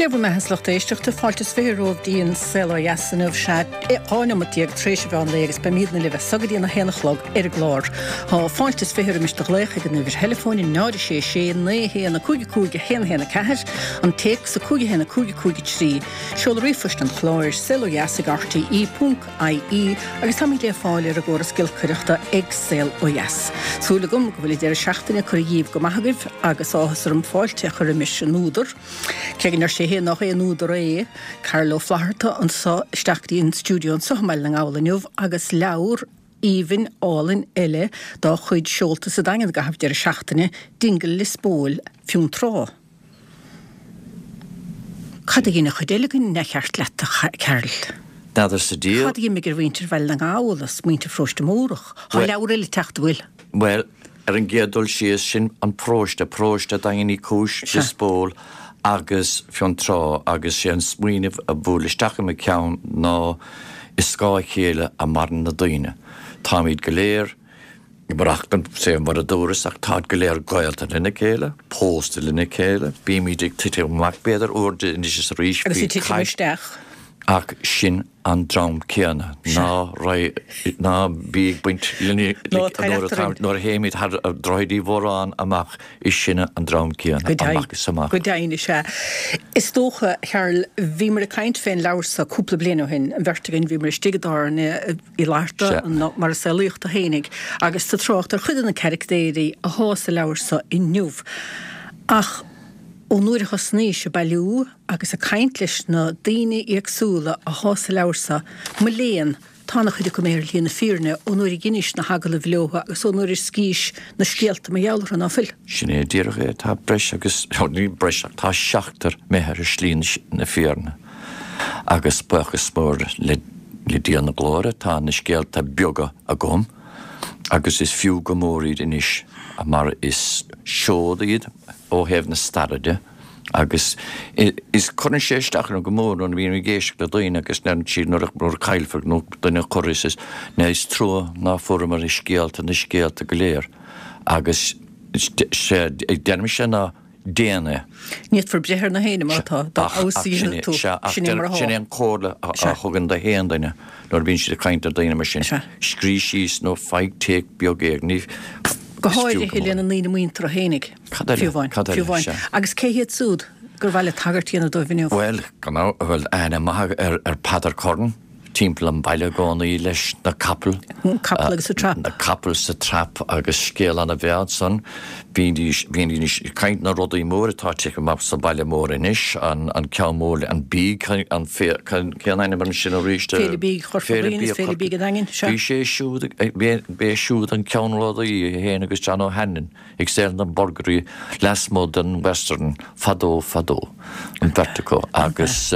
Dé bhur mbeatha a lucht éisteachta, fáilte is 20 romhaibh dtí an Saol Ó Dheas inniu, sea, 12 neomat tar éis an mheán lae agus beimídne libh as so go dtí an 1 a chlog ar an gclár. Tá fáilte is 20 roimis do ghlaoch ag an uimhir theileafóin 0 6 6 9 1 5 5 1 1 4, an téacs 5 1 5 5 3, Seoladh ríomhphoist an chláir, saolodheas ag rte ponc ie agus táimid le fáil ar an gcóras giolcaireachta ag Saol Ó Dheas. Súil agam go bhfuil an deireadh seachtaine curtha dhíbh go maith agaibh agus áthas orm fáilte a chur roimis an údar, cé go ndeir sé féin nach aon údar é, Carl Ó Flaithearta anso isteach go dtí an stiúideo anso i mBaile na nGall inniu agus leabhar aoibhinn álainn eile dá chuid seolta sa Daingean i gcaitheamh deireadh seachtaine, Dingle Lios Póil, Fionntrá. Cad a dhein an chuid eile den neamhcheart leat, a Charl? N'fheadar sa diabhal. Cad a d'imigh ar mhuintir Bhaile na nGall is muintir Pharóiste Mórdhach? Tá leabhar eile ag teacht, an bhfuil? Bhuel, ar an gcéad dul síos, sin an paróiste, paróiste Daingean Uí Chúis, Lios Póil agus Fionntrá agus sé an smaoineamh a bhuail isteach i mo cheann ná i scáth a chéile a maireann na daoine. Táimid go léir. Maireachtaint sé mar a dúras ach táid go léir gaolta lena chéile, pósta lena chéile, bímid ag titim amach b'fhéidir uair anois is arís, Agus ag titim isteach. Ach sin an dream céanna, ná raibh, ná bí ag baint linn nuair a théimid thar Droichead Uí Mhóráin amach, is sinne an dream céanna, amach is amach. Go deimhin, is ea. Is dócha, a Charl, bhíomar ag caint fén leabhar so cúpla bliain ó shin, an bheirt againn, bhíomar istigh i dtábhairne, Uí Fhlatharta, mar a saolaíodh tú fhéinig, agus tú ag trácht ar chuid de na caractéirí athá sa leabhar so inniu. Ach ón uair a thosnaís ag bailiú agus ag caint leis na daoine éagsúla athá sa leabhar so, mo léan, tá ana chuid acu imithe ar shlí na fírinne ón uair a dheinis na hagallaimh leothu agus ón uair a scríos na scéalta mar gheall orthu, ná fuil? Sin é díreach é, tá breis agus, ní breis ach tá seachtar imithe ar shlí na fírinne. Agus buíochas mór le Dia na Glóire, tá na scéalta beaga agam agus is fiú go mór iad anois mar is seod iad ó thaobh na staire de agus is cuireann sé isteach orm go mór nuair a bhím ag éisteacht le daoine agus deireann siad nuair a caillfear nó duine a chur is is trua ná fuaireamar na scéalta na scéalta go léir agus deirimse ná déan é. Ní fhéadfar breith ar na héinne mar atá, dá fheabhas a dhéanfaidh tú, sin é mar atá. Sin é an comhairle a thugaim do haon duine nuair a bhíonn siad ag caint ar daoine mar sin, scríobh síos nó faigh téacs beag éigin. Go háirithe lena ndaoine muinteartha fhéinig, fiú amháin, fiú amháin. Agus cé hiad siúd gur mhaith leat tagairt a dhéanamh dóibh inniu? Bhuel, gan bhuel, aithne maith ar Peadar Curran. timpeall an bhaile i gcónaí leis na capaill. Na capaill agus an trap. Na capaill sa trap agus scéal ana bhreá ansan. Bhídís, bhídís ag caint na rudaí mór atá tite amach sa bhaile mór anois, an, an ceann mór, an bídh, an fé, cén ainm air sin arís? Féile Bídh Chorca Dhuibhne is Féile Bídh an Daingin, sea. Bhí sé siúd, b'é siúd an ceannródaí, é féin agus John O'Hanlon. ag sell na burgairí lasmuigh den Western fadó fadó, an bheirt acu, agus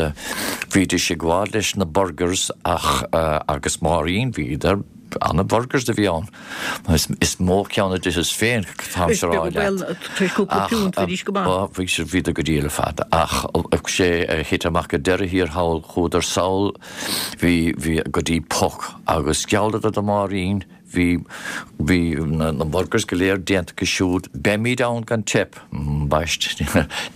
bhídís ag gabháil leis na burgers ach, agus Máirín, bhíodar, ana-burgers a bhí ann, is mó ceann a d'itheas féin, táimse a rá leat. Ach, bhí siad, bhíodar go diail ar fad, ach sé a thit amach ag deireadh thiar thall, chuadar sall, bhí, bhí, go dtí Puck agus ghealladar do Máirín, Bhí, bhí na burgers go léir déanta acu siúd. Beimid ann gan teip. Ambaist,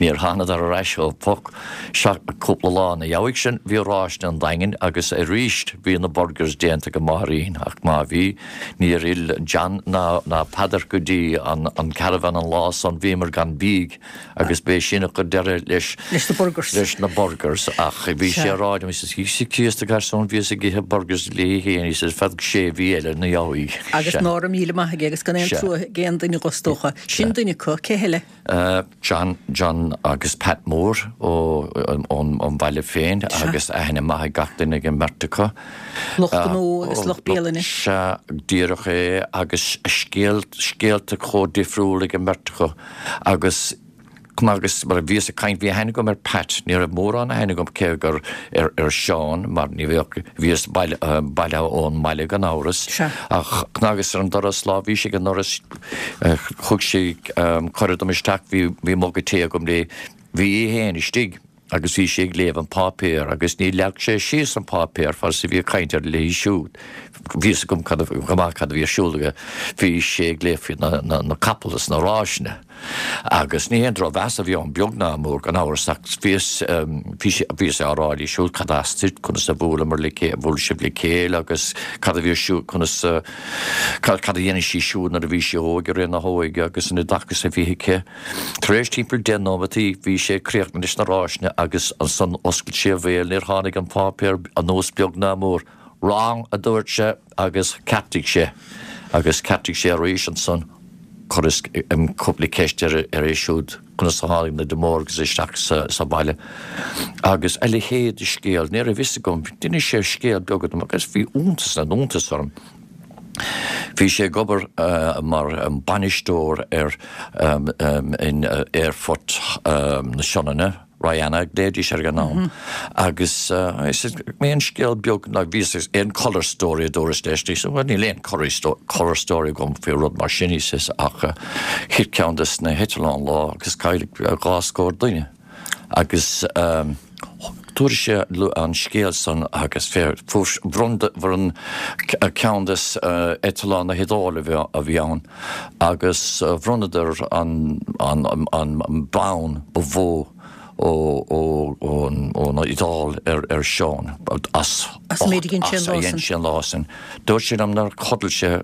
níor thánadar ar ais ó Puck seach cúpla lá ina dhiaidh sin bhí ráiseanna an Daingin agus arís bhí na burgers déanta ag Máirín ach má bhí, níor fhill John ná, ná Peadar go dtí an, an caravan an lá san, bhíomar gan bídh. Agus b'é sin a chuir deireadh leis Leis na burgers. leis na burgers ach bhí sé Sea. a rá liom, he says, Íosa Críost a garsún, bhíos ag ithe burgers léi féin, he says, feadh sé mhí eile ina dhiaidh. Agus Sea. ná raibh míle maith aige agus gan aon Sea. trua ag aon duine dho, is dócha. Sea. Sin duine acu, cé heile? John, John agus Pat Mór ó, ón, ón bhaile féin Sea. agus aithne maith ag gach duine ag an mbeirt acu. Lucht gnó agus lucht bialainne. Sea, díreach é agus scéal, scéalta chomh difriúil ag an mbeirt acu. Agus agus mar a bhíos ag caint, bhí aithne agam ar Pat, ní raibh mórán aithne agam cé gur ar ar Seán mar ní bheadh, bhíos baile bailithe ón mbaile gan amhras. Sea. Ach agus ar an doras lá bhí sé ag an ndoras thug sé cuireadh dom isteach, bhí bhí muga tae agam léi, bhí í fhéin istigh. agus bhí sé ag léamh an páipéar agus níor leag sé síos an páipéar fad is a bhí ag caint air léi siúd. Bhí fhios agam cad a, go maith cad a bhí ar siúl aige. Bhí sé ag léamh faoi na, na, na capaill is na ráiseanna. Agus ní haon drochmheas a bhí ann, beag ná mór, gan amhras, ach bhíos, bhí sé, bhíos á rá léi siúd cad as duit, conas a bhuaileamar le chéile, bhuail sibh le chéile agus cad a bhí ar siúl, conas a, cad, cad a dhéanadh sí siúd nuair a bhí sí óg i rith na hóige agus an oideachas a bhí aici. Tar éis timpeall 10 nóimeataí bhí sé críochnaithe leis na ráiseanna agus ansan oscail sé a bhéal, níor tháinig an páipéar anuas beag ná mór. Wrong, a dúirt sé agus cheartaigh sé. Agus cheartaigh sé arís ansan. Chuireas cúpla ceist air é siúd, conas a tháinig na De Morgans isteach sa bhaile agus a leithéid de scéal. Ní raibh fhios agam. D'inis sé scéal beag dom agus bhí iontas na n-iontas orm. Bhí sé ag obair mar bainisteoir ar in aerfort na Sionainne, Ryanair a ghlaoidís air ag an am, agus aon scéal beag ná bhí aon colour story a dúras leis, he said, well níl aon colour story agam faoi rud mar sin, he says, ach thit ceann des na heitleáin lá agus cailleadh dhá scór duine. Agus dúirt sé an scéal san agus fuair, bhronn, bhronn ceann des eitleáin na hIodáile a bhí ann agus bhronnadar an, an, an bonn ba mhó ó, ó, ón, ón Iodáil ar, ar Seán as As an méid a dhein sé an as a lá dhein san. sé an lá san. Dúirt sé liom nár chodail sé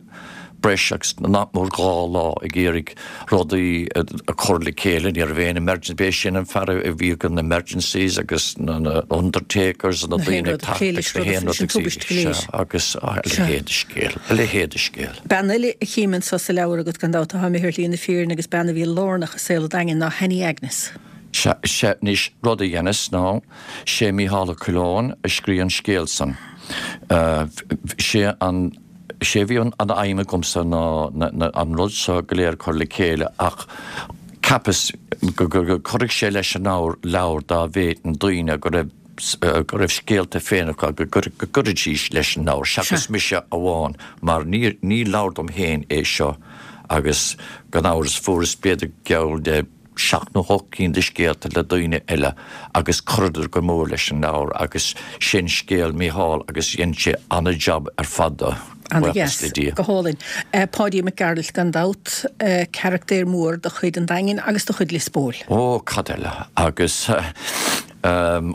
breis agus nach mór 2 lá ag iarraidh rudaí a chur le chéile. Ní raibh aon emergency, b'é sin an fear a bhí ag na emergencies agus na undertakers na daoine ag teacht agus na haon rud agus agus a leithéid de scéal, a leithéid de scéal. Bean eile a chím anso sa leabhar agat gan dabht atá imithe ar shlí na fírinne agus bean a bhí lárnach i saol an Daingin ná Hanny Agnes. Sea, sea, anois rud a dheineas ná, sé Mícheál Ó Coileáin a scrígh an scéal san. Sé an. Sé a bhí an aidhm agamsa ná an rud seo go léir a chur le chéile ach cheapas go gcuirfeadh sé leis an leabhar dá bhféadfainn daoine go raibh go raibh scéalta féin acu go gcuirfidís leis an leabhar seachas mise amháin mar ní ní leabhar dom féin é seo agus gan amhras fuaireas b'fhéidir geall le seacht nó hocht gcinn de scéalta le daoine eile agus chuireadar go mór leis an leabhar agus sin scéal Mícheál agus dhein sé ana-jab ar fad de, Ana-dheas. buíochas le Dia. Go hálainn. Páidí Mac Gearailt gan dabht, carachtar mór de chuid an Daingin agus de chuid Lios Póil. Ó, cad eile. Agus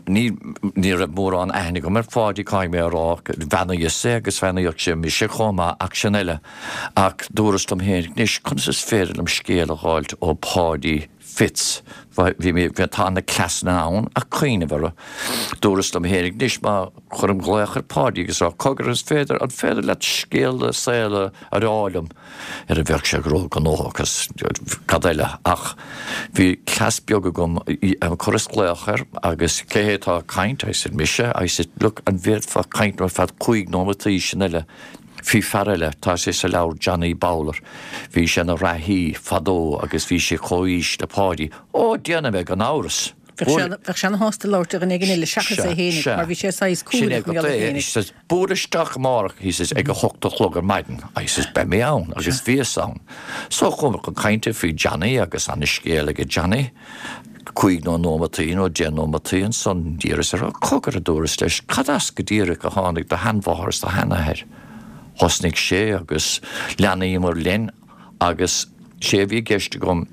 ní, ní raibh mórán aithne agam ar Pháidí, caithfidh mé a rá, bheannaíos é agus bheannaíodh sé mise chomh maith ach sin eile. Ach dúras liom féin, anois, conas is féidir liom scéal a dh'fháilt ó Pháidí Fitz? Bhí mé, bhí, tá na cleasanna ann ach cuimhneamh orthu. Dúras liom féin, anois, má chuirim glaoch ar Pháidí agus rá, cogar, is féidir, an féidir leat scéal do saoil a rá liom? Ar a bheadh sé róghnóthach agus cad eile. Ach bhí cleas beag agam, chuireas glaoch air agus cé hé atá ag caint? I said, mise. I said, look, an bhféadfá caint liom ar feadh chúig nóimeataí sin eile? Bhí fear eile, tá sé sa leabhar Johnny Bowler, bhí sé ina reathaí fadó agus bhí sé comhaois le Páidí. Ó, déanfaidh mé gan amhras! Bheadh sé ana-shásta labhairt le dhuine éigin eile seachas é fhéinig mar bhí sé saghas cúthaileach mar gheall air féinig. He says, buail isteach amárach, he says, ag a hocht a chlog ar maidin. I says, beidh mé ann agus bhíos ann. So chuamar chun cainte faoi Johnny agus ana-scéal aige Johnny. Cúig nó nóimeataí nó deich nóimeataí ansan d'iarras air, Cogar, a dúras leis, cad as go díreach a tháinig do sheanmháthair is do sheanathair? Thosnaigh sé agus leanaíomar linn agus sé a bhí i gceist agam,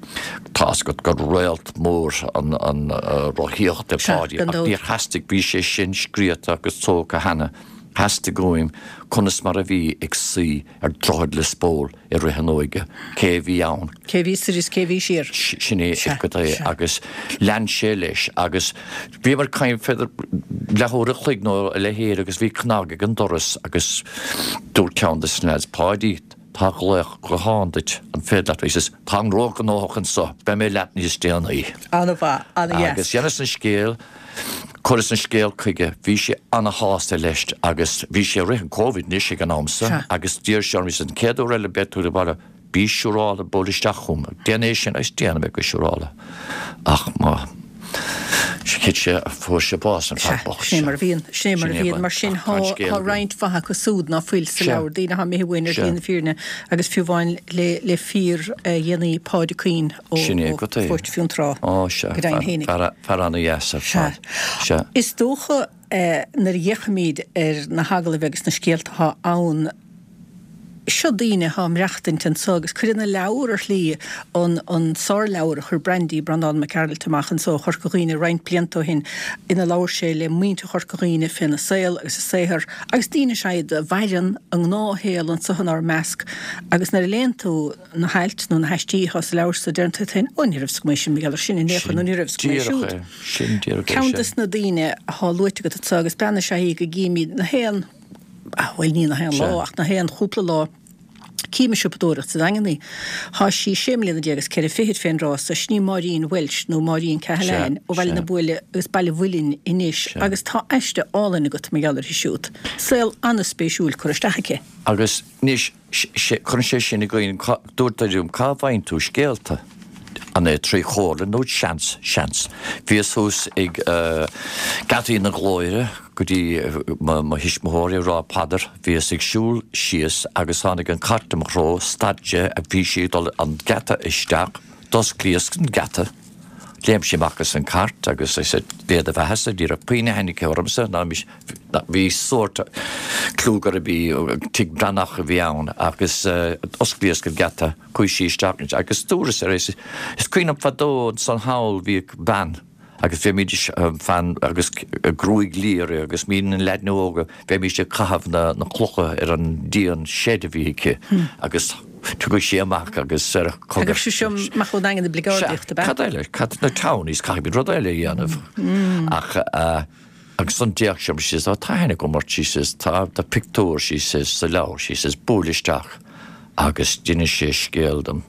tá's agat gur réalt mór an rothaíocht é Páidí ach níor theastaigh, bhí sé sin scríofa agus tógtha cheana, theastaigh uaim conas mar a bhí ag suí ar Droichead Lios Póil i rith an óige, cé a bhí ann. Cé a bhí soir is cé a bhí siar. Sin é go é agus lean sé leis agus bhíomar ag caint b'fhéidir leathuair a chloig nó a leithéid agus bhí cnag ag an doras agus dúirt ceann de na leaids, Páidí, tá glaoch gutháin duit, an féidir leat? He says, táim róghnóthach anso, beidh mé leat níos déanaí. An-mhaith, an-dheas. Agus dheineas an scéal. Chuireas an scéal chuige, bhí sé ana-shásta leis agus bhí sé i rith an Covid anois ag an am so agus d'iarr sé orm, he said, an chéad uair eile a beidh tú sa bhaile, bí siúráilte, buail isteach chugam, déan é sin agus déanfaidh mé go siúráilte. Ach má thit sé, fuair sé bás an fear bocht Sin é mar a bhíonn, sin é mar a bhíonn. Mar sin tá roinnt mhaith acu súd ná fuil sa leabhar, daoine atá imithe uainn ar shlí na fírinne agus fiú amháin le fíor-dhéanaí Pádraic Quinn. ó Sin é agat é. Phort Fionntrá Ó, sea, go deimhin fear, fhéinig. fear, fear ana-dheas ar Sea. fad. Sea. Is dócha, nuair a fhéachaimid ar na hagallaimh agus na scéalta atá ann, Seo daoine atá ag maireachtaint anso agus cuireann an leabhar ar shlí an an sárleabhar a chuir Brandy, Breandán Mac Gearailt amach anso ó Chorca Dhuibhne roinnt blianta ó shin ina labhair sé le muintir Chorca Dhuibhne féna saol agus a saothar agus daoine is ea iad a mhaireann a ngnáthshaol anso inár measc agus nuair a léann tú na hailt nó na haistí atá sa leabhar so deireann tú leat féin, ó ní raibh 'fhios agam é sin mar gheall air sin in aon chor nó ní raibh 'fhios agam é siúd. Sin díreach é. Ceann des na daoine atá luaite agat anso agus bean is ea í go gcímid na haon bhuel ní na haon lá ach na haon chúpla lá, cím ag siopadóireacht sa Daingean í. Thá sí sé mbliana déag is ceithre fichid fén dtráth so, sin í Máirín Walsh nó Máirín Cahalane ó Bhaile na Buaile agus Baile Mhuilinn anois agus tá aiste álainn agat mar gheall uirthi siúd. Saol an-spéisiúil curtha isteach aici. Agus anois Cuireann sé sin i gcuimhne, dúirt duine liom, cá bhfaigheann tú scéalta? An é trí chomhairle nó seans, seans. Bhíos thuas ag Geataí na Glóire go dtí mo thuismitheoirí ag rá paidir. Bhíos ag siúl síos agus tháinig an cairt i mo threo, stad sé, bhí sí ag dul an geata isteach, d'osclaíos an geata, léim sí amach as an cairt agus I said, Dé do bheathasa, ní raibh puinn aithne aici ormsa ná mise. Bhí sórt clú gurb í Tigh Breathnach a bhí ann agus osclaíos an geata, chuaigh sí isteach ansin agus dúras ar is is cuimhin liom fadó ansan thall bhíodh bean agus bheimís fan agus gruaig liath uirthi agus muid na leaideanna óga bheimís ag caitheamh na na clocha ar an díon seid a bhí aici agus tugadh sí amach agus ar cogar Tagadh sí seo amach ón nDaingean oibligeáideach, ab ea? Cad eile? Cad na townies caithfimid rud eile a dhéanamh ach Agus ansan d'fhéach sí orm, she says, oh tá aithne agam ort, she says, tá do phictiúr, she says, sa leabhar, she says, buail isteach agus d'inis sé scéal dom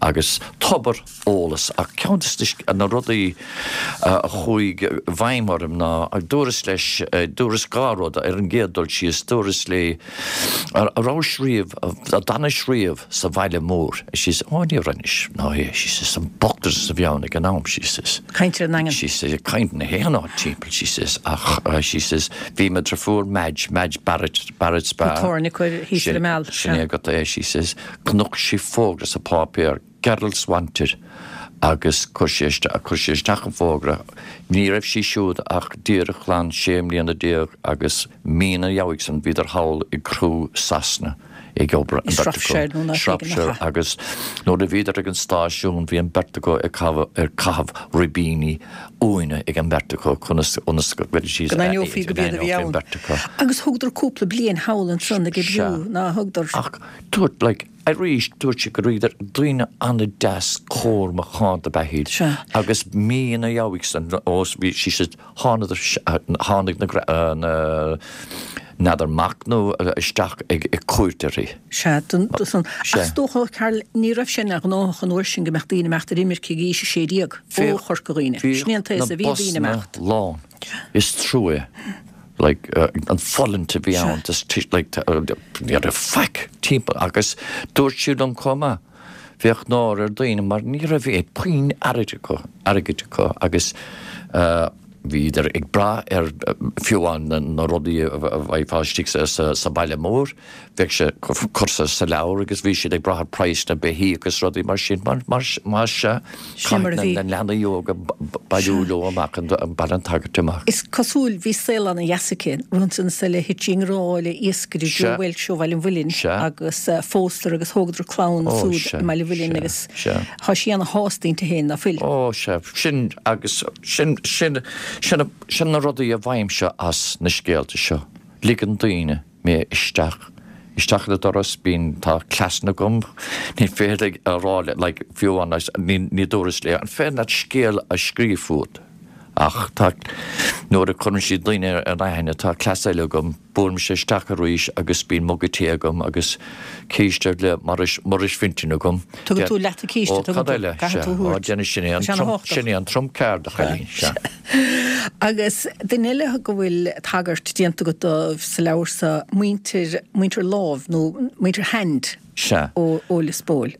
agus tobar eolas ach ceann de na rudaí a chuaigh i bhfeidhm orm ná dúras leis, dúras dhá rud ar an gcéad dul síos, dúras léi, an rabhais riamh, an d'fhanais riamh sa bhaile mór? She says, oh ní raibh anois, ná é, she says, an bochtanas a bhí ann ag an am, she says. Caint ar an nDaingean. She says, caint na haon áit timpeall, she says, ach, she says, bhí mo dheirfiúr Madge, Madge Barrett, Barrett's Bar. An tábhairne acu thíos ar an Meal. Sin é agat é, she says, chonaic sí fógra sa pháipéar, Girls Wanted, agus chuir sí isteach, chuir sí isteach an fógra. Ní raibh sí siúd ach díreach glan sé mbliana déag agus mí ina dhiaidh san bhíodar thall i gCrewe Sasana ag obair, an bheirt acu. Shropshire agus nuair a bhíodar ag an stáisiún bhí an bheirt acu ag caitheamh ribíní uaine ag an mbeirt acu conas ionas go bhféadfaidís Go n-aithneofaí go b'iad a bhí ann. beirt acu. Agus thugadar cúpla bliain thall ansan ag oibriú, ná thugadar? Ach dúirt like arís dúirt sí go rabhadar daoine an-deas cóir macánta ab ea iad agus mí ina dhiaidh san ós bhí she said Thánadar, tháinig na, na, n'fheadar mac nó isteach ag cuairt uirthi. Sea, don, do san. Ach is dócha, Karl, ní raibh sé ina ghnóthach an uair sin go mbeadh daoine ag imeacht ar imirce ag aois 16 ó Chorca Dhuibhne. Sin é an t-aos a bhí daoine ag imeacht. Bhíodh na busanna lán. Is trua é. Like, an fulaingt a bhí ann, just, like, ní raibh faic timpeall agus dúirt sí liom chomh maith, Bheadh náire ar daoine mar ní raibh aon puinn airgid acu, airgid acu agus bhíodar ag brath ar fiú amháin na rudaí a bhfaighfeá istigh sa baile mór, bheadh sé curtha sa leabhar agus bhí siad ag brath ar praghas na beithíoch agus rudaí mar sin mar mar sea caithfidh na leanaí óga bailiú leo amach an Baile an tSagairt amach. Is cosúil, bhí saol ana-dheas aici, rud ansan eile, thit sí i ngrá le iascaire Joe Walsh ó Bhaile an Mhuilinn agus phósadar agus thógadar clann súd i mBaile an Mhuilinn agus tá sí ana-shásta inti féin, ná fuil? Ó sea, sin agus sin, sin, sin, sin na rudaí a bhfaighimse as na scéalta seo, ligeann daoine. mé isteach, isteach ar an doras, bíonn, tá cleasanna agam, ní féidir a rá le, like, fiú amháin, ní, ní dúras léi, an féidir leat scéal a scríobh fút? Ach tá, nuair a cuireann siad daoine ar aithne, tá cleas eile agam, buailimse isteach arís agus bíonn muga tae agam agus císte le Maurice, Maurice Fintan agam. Tugann tú leat an císte, Ó, tugann cad tú, eile? caithfidh Sea, tú a ó, thabhairt. déanfaidh sin é Tá an sé trump, ana-thábhachtach. sin é an trump card, a chailín, sea. Agus duine eile go bhfuil tagairt déanta agat dóibh sa leabhar so, muintir, muintir Lámh nó muintir Hand Sea. ó ó Lios Póil.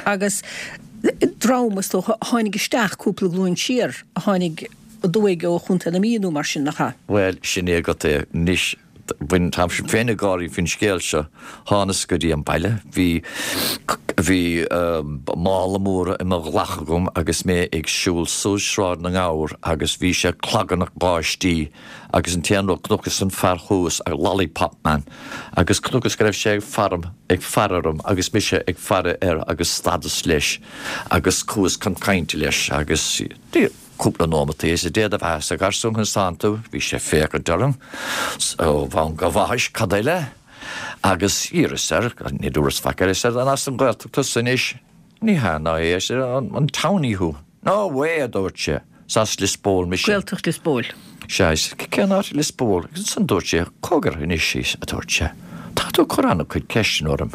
Agus dream, is dócha, a tháinig isteach cúpla glúin siar, a tháinig aduaidh ó Chontae na Mí nó mar sin, nach ea? Bhuel, sin é agat é anois. Bhain, táimse féin ag gáirí faoin scéal seo. Thánas go dtí an baile, bhí, bhí mála mór i mo ghlac agam agus mé ag siúl suas Sráid na nGabhar agus bhí sé clagarnach báistí agus an t-aon rud, chonacas an fear thuas, a lollipop man, agus chonacas go raibh sé ag faire, ag faire orm agus mise ag faire air agus stadas leis agus chuas chun cainte leis agus. Cúpla nóimeat is Dia do bheatha a gharsúin conas tánn tú, bhí sé ag féachaint orm ó bhonn go bhaithis, cad eile? Agus d'iarras air, ní dúras faic air, ar an as an Ghaeltacht tusa anois? Ní hea ná é, ar seisean, an townie thú? No way, a dúirt sé, is as Lios Póil mise. Gaeltacht Lios Póil. Sea, is cén áit i Lios Póil? Agus ansan dúirt sé, cogar anois, a dúirt sé, tá tú ag cur an-chuid ceisteanna orm.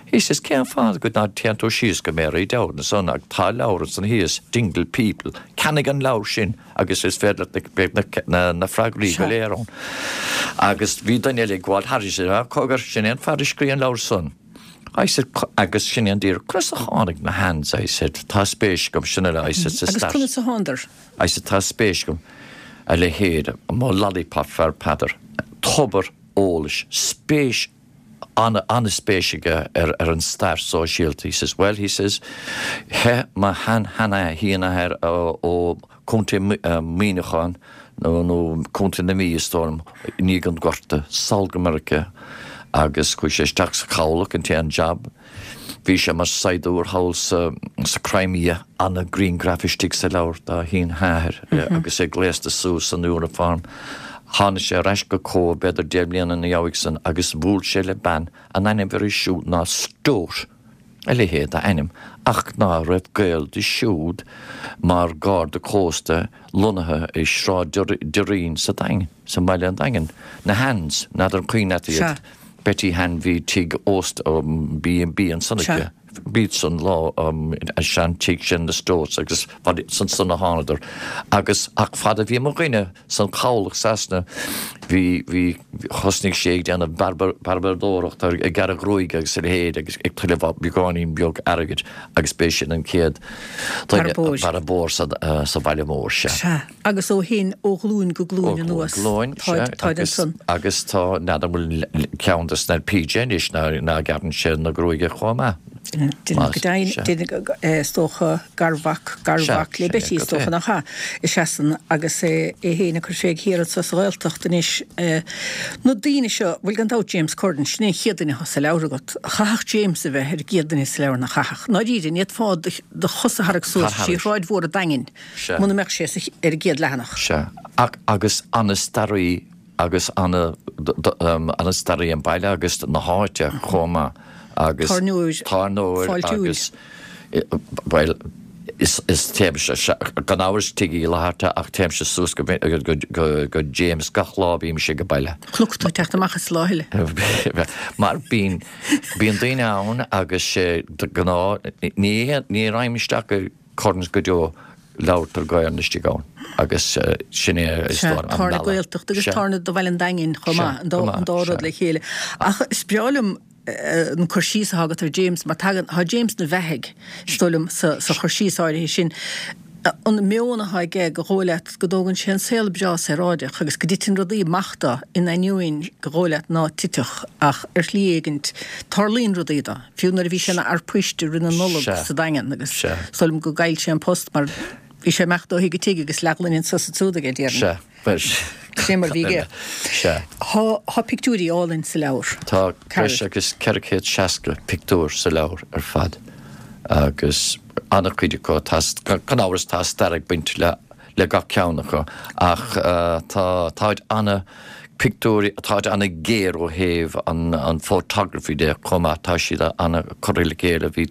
He says, cén fáth go ná téann tú síos go Mary Dowd ansan ag tá leabhar ansan thíos, Dingle People, ceannaigh an leabhar sin agus is féidir leat beidh na na freagraí go léir ann. Agus bhí duine eile ag gabháil thairis, he said, ah cogar, sin é an fear a scríobh an leabhar san. I said, agus sin é an díreach, conas a tháinig na Hands, I said, tá spéis agam, sin é, I said, sa stair. Agus conas a thánadar? I said, tá spéis agam, a leithéid, mo lollipop fear Peadar, tobar eolais, spéis an-spéis aige ar an stair sóisialta. He says, well, he says, theith mo shean-sheanathair ó Contae Muineacháin nó Contae na Mí is dóigh liom, i ndiaidh an Ghorta, sall go Meiriceá agus chuaigh sé isteach sa chabhlach, an t-aon jab. Bhí sé mar saighdiúir thall sa Crimea, ana-ghrianghraf istigh sa leabhar dá shin-sheanathair agus é gléasta suas san uniform. Tháinig sé ar ais go Cóbh b'fhéidir 10 mbliana ina dhiaidh san agus bhuail sé le bean, an ainm uirthi siúd ná Stote, a leithéid d'ainm, ach ná raibh gaol di siúd mar Garda Cósta lonnaithe i Sráid Doirín sa Daingean, sa mbaile an Daingean, na Hands, n'fheadar an cuimhin leat iad. Betty Hand bhí tigh óst B and B ansan aici. B'iad san lá an sean tigh sin na Stotes agus ansan a thánadar agus ach fad a bhí mo dhuine san chabhlach Sasana bhí bhí thosnaigh sé ag déanamh bearbadóireacht ag gearradh gruaige agus a leithéid agus ag tuilleamh beagáinín beag airgid agus b'é sin an chéad duine bearbóir sa bhaile mór sea. Agus ó shin, ó ghlúin go glúin anuas, táid ansan. Agus tá, n'fheadar an bhfuil ceann de sna PJ anois ná gearrann sé na gruaige chomh maith. Déanamh go deimhin, is dócha, garmhac, garmhac le Betty, is dócha nach ea, is ea san agus é féin ag cur fé thiar anso sa Ghaeltacht anois. Na daoine seo, bhuel gan dabht James Curran, sin é an chéad duine atá sa leabhar agat. Chaithfeadh James a bheith ar an gcéad duine sa leabhar, nach chaithfeadh? Ndáiríre, ní fhéadfá do chos a tharrac suas trí Shráid Mhór an Daingin. Sea. Muna mbeadh sé ar an gcéad leathanach. Sea. Ach, agus ana-staraí agus ana, ana-staraí an baile agus na háite chomh maith agus. Tábhairneoir. Tábhairneoir Fáiltiúil. agus, bhuel, is, is téimse, gan amhras Tigh Uí Fhlatharta ach téimse suas go, go, go, go James gach lá a bhímse ag baile. Chonac tú ag teacht amach as lá eile. Mar bíonn, bíonn daoine ann agus sé de ghnáth, ní, ní raghaim isteach go, Curran's go deo labhartar Gaelainn istigh ann agus sin é is dóigh liom an bealach. Tábhairne Gaeltachta agus tábhairne do Bhaile an Daingin chomh maith, an dá rud le chéile. Ach is breá liom an cur síos atá agat ar James mar tagann, tá James ina bheathaidh, is dóigh liom, sa chur síos áirithe sin. An meon atá aige gur dhóigh leat go dtógann sé an saol breá saoráideach agus go dtiteann rudaí amach dó in ainneoin gur dhóigh leat ná titfeadh ach ar shlí éigint tarlaíonn rudaí dó. Fiú nuair a bhí sé ina fhear poist i rith na Nollag sa Daingean agus is dóigh liom gur ghoill sé an post mar bhí sé ag imeacht ó thigh go tigh agus leathghloine anso is ansúd aige, déarfainn. Sin mar a bhí aige. Tá pictiúirí álainn sa leabhar. Tá breis agus 460 pictiúr sa leabhar ar fad agus an-chuid acu, gan amhras tá stair ag baint le le gach ceann acu ach tá táid ana pictiúirí táid ana géar ó thaobh an an photography de chomh maith tá siad ana curtha le chéile bhí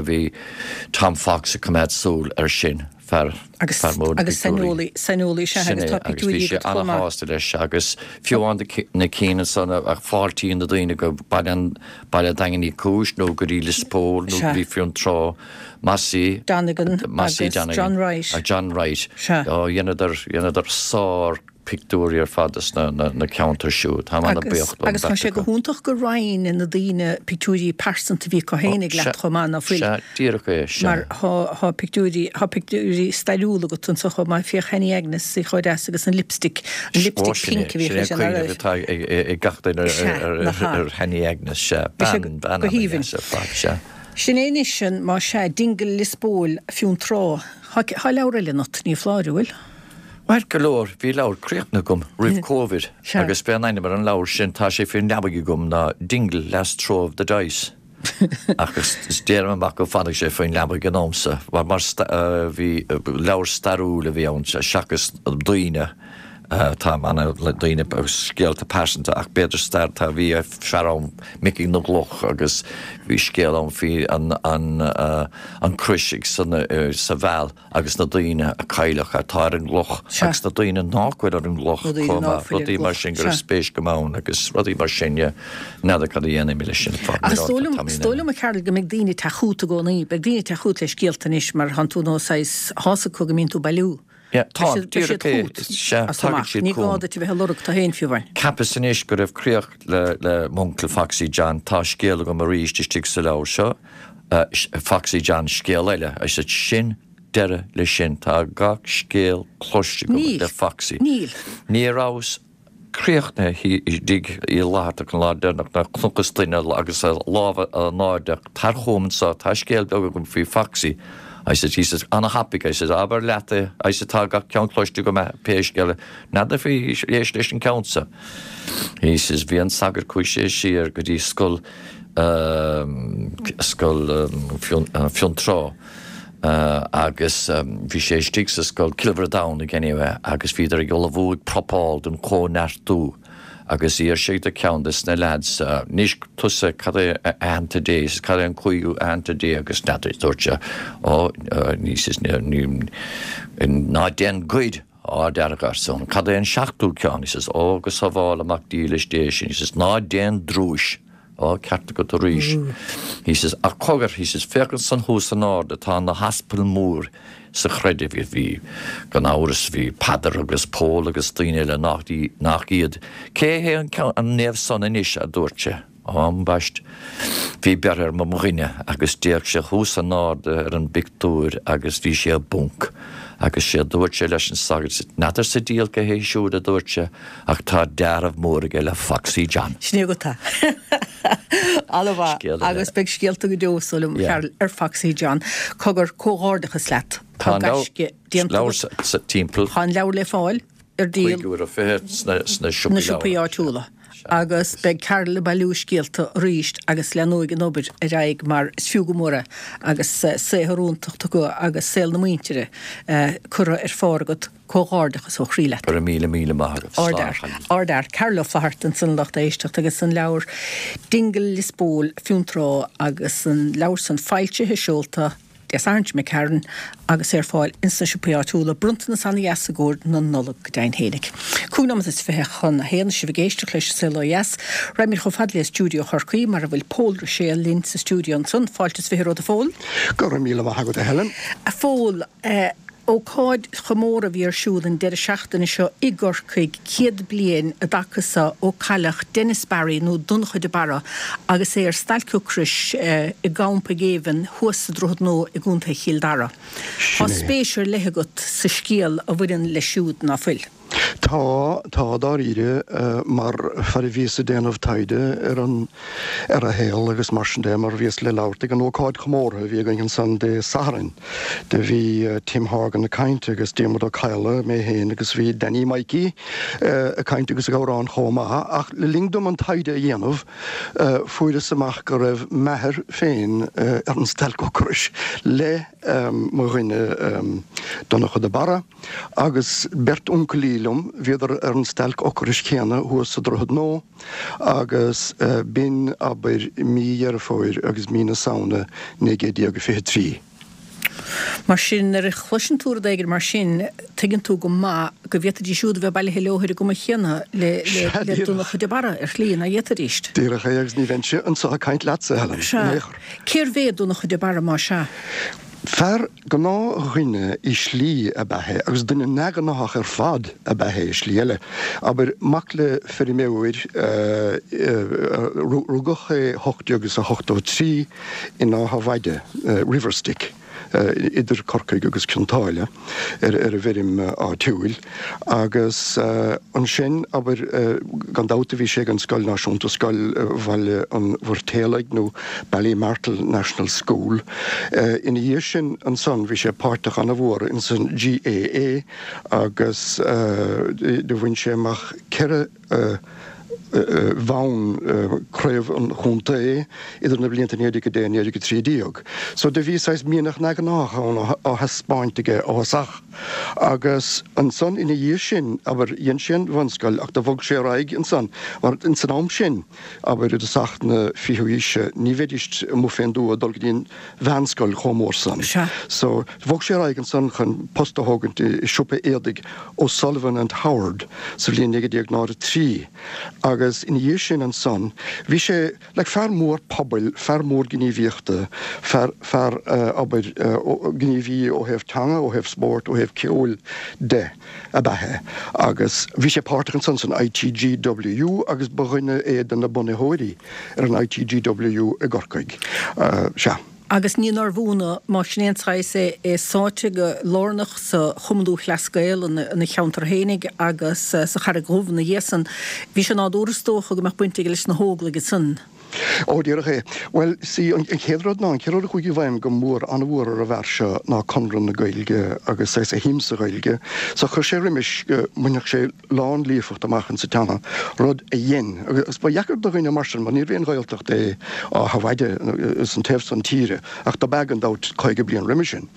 bhí Tom Fox ag coimeád súil ar sin fear agus fear mór na agus bpictiúirí. saineolaí saineolaí sea Sin agus é tá agus bhí pictiúirí sé agat chomh ana maith. shásta leis agus fiú amháin na cinn ansan a fáiltíonn na daoine go Baile an Baile Daingean Uí Chúis nó go dtí Lios Póil nó Sea. go dtí Fionntrá Mossie Donegan Mossie agus Donegan John Wright. John Wright. Sea. Ó dheineadar, dheineadar sár. pictiúirí ar fad as na ceantair siúd. Táim ana-bhuíoch don Agus tá bheirt sé go acu. hiontach gur roinn na daoine pictiúirí pearsanta a bhí acu féinig leat chomh maith, ná fuil? Sea, díreach é, sea. Mar tá pictiúirí, tá pictiúirí stairiúla agat anseo chomh maith, féach Annie Agnes, í chomh deas agus an lipstick, an Ó, lipstick sin é, pink a bhíodh sin é aici, nach cuimhneamh raibh? atá ag gach duine Sea, ar nach ea. ar Annie Agnes, sea. Bhí sé Bean, bean go haoibhinn. ana-dheas ar fad, sea. Sin é anois an, más sea, Dingle Lios Póil, Fionntrá. Tá leabhar eile ionat, ní foláir, an bhfuil? Maith go leor, bhí leabhar críochnaithe agam roimh Covid agus b'é an ainm ar an leabhar sin, tá sé faoin leabaidh agam, ná Dingle, Last Throw of the Dice. Ach is déanaim amach go bhfanfaidh sé faoin leabaidh ag an am so, mar bhí leabhar stairiúil a bhí ann seachas daoine. Tá ana le daoine agus scéalta pearsanta ach b'fhéidir stair tá bhí fear ann Micí na gCloch agus bhí scéal ann faoi an an an crois ag san sa Mheall agus na daoine a cailleadh atá ar an gcloch agus na daoine nách bhfuil ar an gcloch chomh maith rudaí mar sin go raibh spéis agam ann agus rudaí mar sin yeah n'fheadar cad a dhéanfaidh mé leis sin Ach is dóigh liom is dóigh liom a Chearl go mbeidh daoine ag teacht chugat i gcónaí beidh daoine ag teacht chugat le scéalta anois mar thánn tú nó saghas tá's acu go mbíonn tú ag bailiú. Yeah, tá, Beidh siad díreach é, chugat sea, as tagann amach. siad Ní gá chugam. duit a bheith ag lorg tú féin fiú amháin. Cheapas anois go raibh críoch le, le m'uncail Foxy John, tá scéal agam arís istigh sa leabhar seo, Foxy John, scéal eile. I said, sin deireadh leis sin, tá gach scéal cloiste agam Níl, le Foxy. níl. Ní rabhas críochnaithe i dtigh Uí Fhlathartaigh an lá deireanach nuair a chonacthas duine agus a lámh in airde, tar chugam anso, tá scéal beag agam faoi Foxy. I said, he says, ana-thapaidh, I said, abair leat é, I said, tá gach ceann cloiste agam pé scéal é, n'fheadar faoi, éist leis an ceann so. He says, bhí an sagart, chuaigh sé siar go dtí scoil, scoil Fionntrá. Agus bhí sé istigh sa scoil, Cill Mhuire Domhnaigh anyway, agus bhíodar ag ullmhú, ag prapáil don chóineartú agus d'iarr sé de ceann des na leaids, anois tusa, cad é aitheanta Dé, he says, cad é an cúigiú aitheanta Dé agus n'fheadar, dúirt sé, ó, he says, ná déan goid, Á dearg arsa an, cad é an seachtú ceann, he says, ó go sábhála Mac dílis Dé sinn, he says, ná déan drúis. Á, ceart agat arís. He says, ach cogar, he says, féach ansan thuas in airde, tá na haspail mhór sa chreideamh. Bhí, gan amhras, bhí Peadar agus Pól agus daoine eile nach, nach iad. Cé hé an ceann, an naomh san anois, a dúirt sé. Á, ambaist. Bhí beirthe ar mo dhuine agus d'fhéach sé thuas in airde ar an bpictiúr agus bhí sé i bponc. Agus sé a dúirt sé leis an sagart, n'fheadar sa diabhal cé hé siúd, a dúirt sé, Ach tá dealramh mór aige le Foxy John. Sin é agat é. Ana-mhaith. Scéal eile. Agus beidh scéalta go deo, is dóigh liom, Yeah. Chearl, ar Foxy John. Cogar, comhghairdeachas leat. Tá Tá an leabhar, gaisce déanta leabhar agat. sa, sa timpeall. Tá an leabhar le fáil ar díol. €5.20 sna, sna siopaí Na siopaí leabhar. áitiúla. Agus beidh Carl ag bailiú scéalta arís agus leanóidh an obair ar aghaidh mar is fiú go mór é agus saothar iontach tugtha agus saol na muintire curtha ar phár agat. Comhghairdeachas ó chroí leat. Go raibh míle míle maith agat. Slán a chailín. Ardfhear. Carl Ó Flaithearta ansan a lucht éisteachta agus an leabhar Dingle Lios Póil Fionntrá agus an leabhar san foilsithe, seolta Dé Sathairn seo imigh tharainn agus é ar fáil ins na siopaí áitiúla. Bronntanas ana-dheas i gcomhair na Nollag go deimhin fhéinig. 25 nóimeat chun a haon sibh ag éisteacht leis An Saol Ó Dheas. Raghaimid chomh fada le stiúideo Chorcaí mar a bhfuil Pól Ruiséal linn sa stiúideo ansan. Fáilte is 20 romhat a Phóil. Go raibh míle maith agat a Helen. A Phóil, Ócáid chomórtha a bhí ar siúl an deireadh seachtaine seo i gCorcaigh, 100 bliain i dtaca so ó cailleadh Denis Barry nó Donncha de Barra agus é ar stailc ocrais i gcampa géibhinn thuas sa Droichead Nua i gContae Chill Dara. Tá Sin é. spéis ar leith agat sa scéal a bhaineann leis siúd, ná fuil? Tá, tá, dáiríre, mar fear a bhíos ag déanamh taighde ar an, ar a shaol agus mar sin de, mar bhíos le labhairt ag an ócáid chomórtha a bhí againn ansan Dé Sathairn. Do bhí Tim Horgan ag caint agus Diarmuid Ó Cadhla, mé féin agus bhí Danny Mikey ag caint agus ag amhrán chomh maith. Ach le linn dom an taighde a dhéanamh, fuaireas amach go raibh m'athair féin ar an stailc ocrais le mo dhuine Donncha de Barra. Agus beirt uncailí liom, bhíodar ar an stailc ocrais chéanna thuas sa Droichead Nua agus b'in, abair, mí Dheireadh Fómhair agus mí na Samhna 1923. Mar sin, nuair a chloiseann tú rud éigin mar sin, tuigeann tú go maith go bhféadfaidís siúd a bheith bailithe leo ar an gcuma chéanna le Sea, le díreach. Donncha de Barra, ar shlí, nach bhféadfaidís? Díreach é, agus ní bheinnse anseo ag caint leatsa, a Helen, in Sea. aon chor. Cérbh é Donncha de Barra, más ea? Fear gnáthdhuine i slí ab ea é agus duine neamhghnáthach ar fad ab ea é i slí eile. Abair, mac le feirmeoir, rugadh é 1883 in Áth a' Mhaide, Riverstick, idir Corcaigh agus Cionn tSáile, ar an bhfeirm áitiúil agus ansin, abair, gan dabht bhí sé ag an scoil náisiúnta, Scoil Bhaile an Mhoirtéalaigh nó Ballymartle National School. Ina dhiaidh sin ansan bhí sé páirteach an-mhór ins an GAA agus do bhain sé amach 4 bhonn craobh an chontae idir na blianta 1910 1913. So do bhí saghas mianach neamhghnách ann á thaispeáint aige ó thosach. Agus ansan ina dhiaidh sin, abair, dhein sé an bhunscoil ach do bhog sé ar aghaidh ansan mar ins an am sin, abair, i dtosach na fichiú haoise, ní bheidís amuigh fén dtuath ag dul go dtí an mheánscoil chomh mór san. So bhog sé ar aghaidh ansan chun post a thógaint i siopa éadaigh O'Sullivan and Howard sa bhliain 1903 agus ina dhiaidh sin ansan bhí sé like fear mór pobail, fear mór gníomhaíochta, fear, fear abair gníomhaí ó thaobh teanga, ó thaobh spóirt, ó thaobh ceoil de ab ea é agus bhí sé páirteach ansan san ITGWU agus ba dhuine é de na bunaitheoirí ar an ITGWU i gCorcaigh. Sea. Agus ní nárbh ionadh, más sin é an saghas é, é sáite go lárnach sa Chumann Lúthchleas Gael ina cheantar fhéinig agus sa Charraig Dhubh ina dhiaidh san. Bhí sé nádúrtha is dócha go mbeadh baint aige leis na hÓglaigh ansan. Ó, díreach é. Bhuel, see, an chéad rud ná, an chéad rud a chuaigh i bhfeidhm go mór, an-mhór ar an bhfear seo ná Conradh na Gaeilge agus saghas a shuim sa Ghaeilge. So chuir sé roimis go mbainfeadh sé lán-líofacht amach insa teanga, rud a dhein, agus ba dheacair do dhuine mar sin, mar níorbh aon Ghaeltacht é Áth a' Mhaide san taobh san tíre, ach dob ea gan dabht 50 bliain roimhe sin.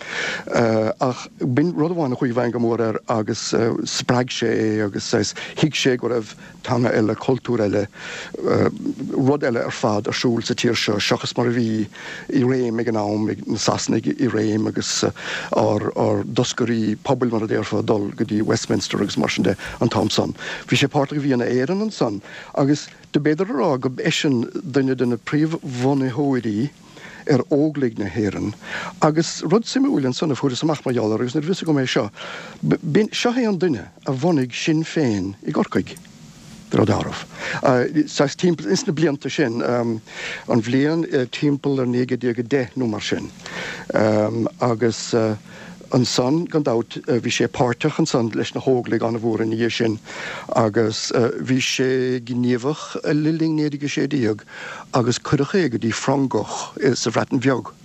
Ach b'in rud amháin a chuaigh i bhfeidhm go mór air agus spreag sé é agus saghas thuig sé go raibh teanga eile, cultúr eile, rud eile ar fad ar siúl sa tír seo seachas mar a bhí i réim ag an am, ag na Sasanaigh i réim agus ár dtoscairí pobail, mar a déarfá, ag dul go dtí Westminster agus mar sin de an t-am san. Bhí sé páirteach i bhFianna Éireann ansan agus do b'fhéidir a rá go b'eisean duine de na príomhbhunaitheoirí ar Óglaigh na hÉireann. Agus rud suimiúil ansan a fuaireas amach mar gheall air agus ní raibh fhios agam é seo, b'in, seo é an duine a bhunaigh Sinn Féin i gCorcaigh. De réir dealraimh. Saghas timpeall, ins na blianta sin, an bhliain timpeall ar 1910 nó mar sin. Agus ansan, gan dabht, bhí sé páirteach ansan leis na hÓglaigh an-mhór ina dhiaidh sin agus bhí sé gníomhach le linn 1916 agus cuireadh é go dtí Frongoch sa Bhreatain Bheag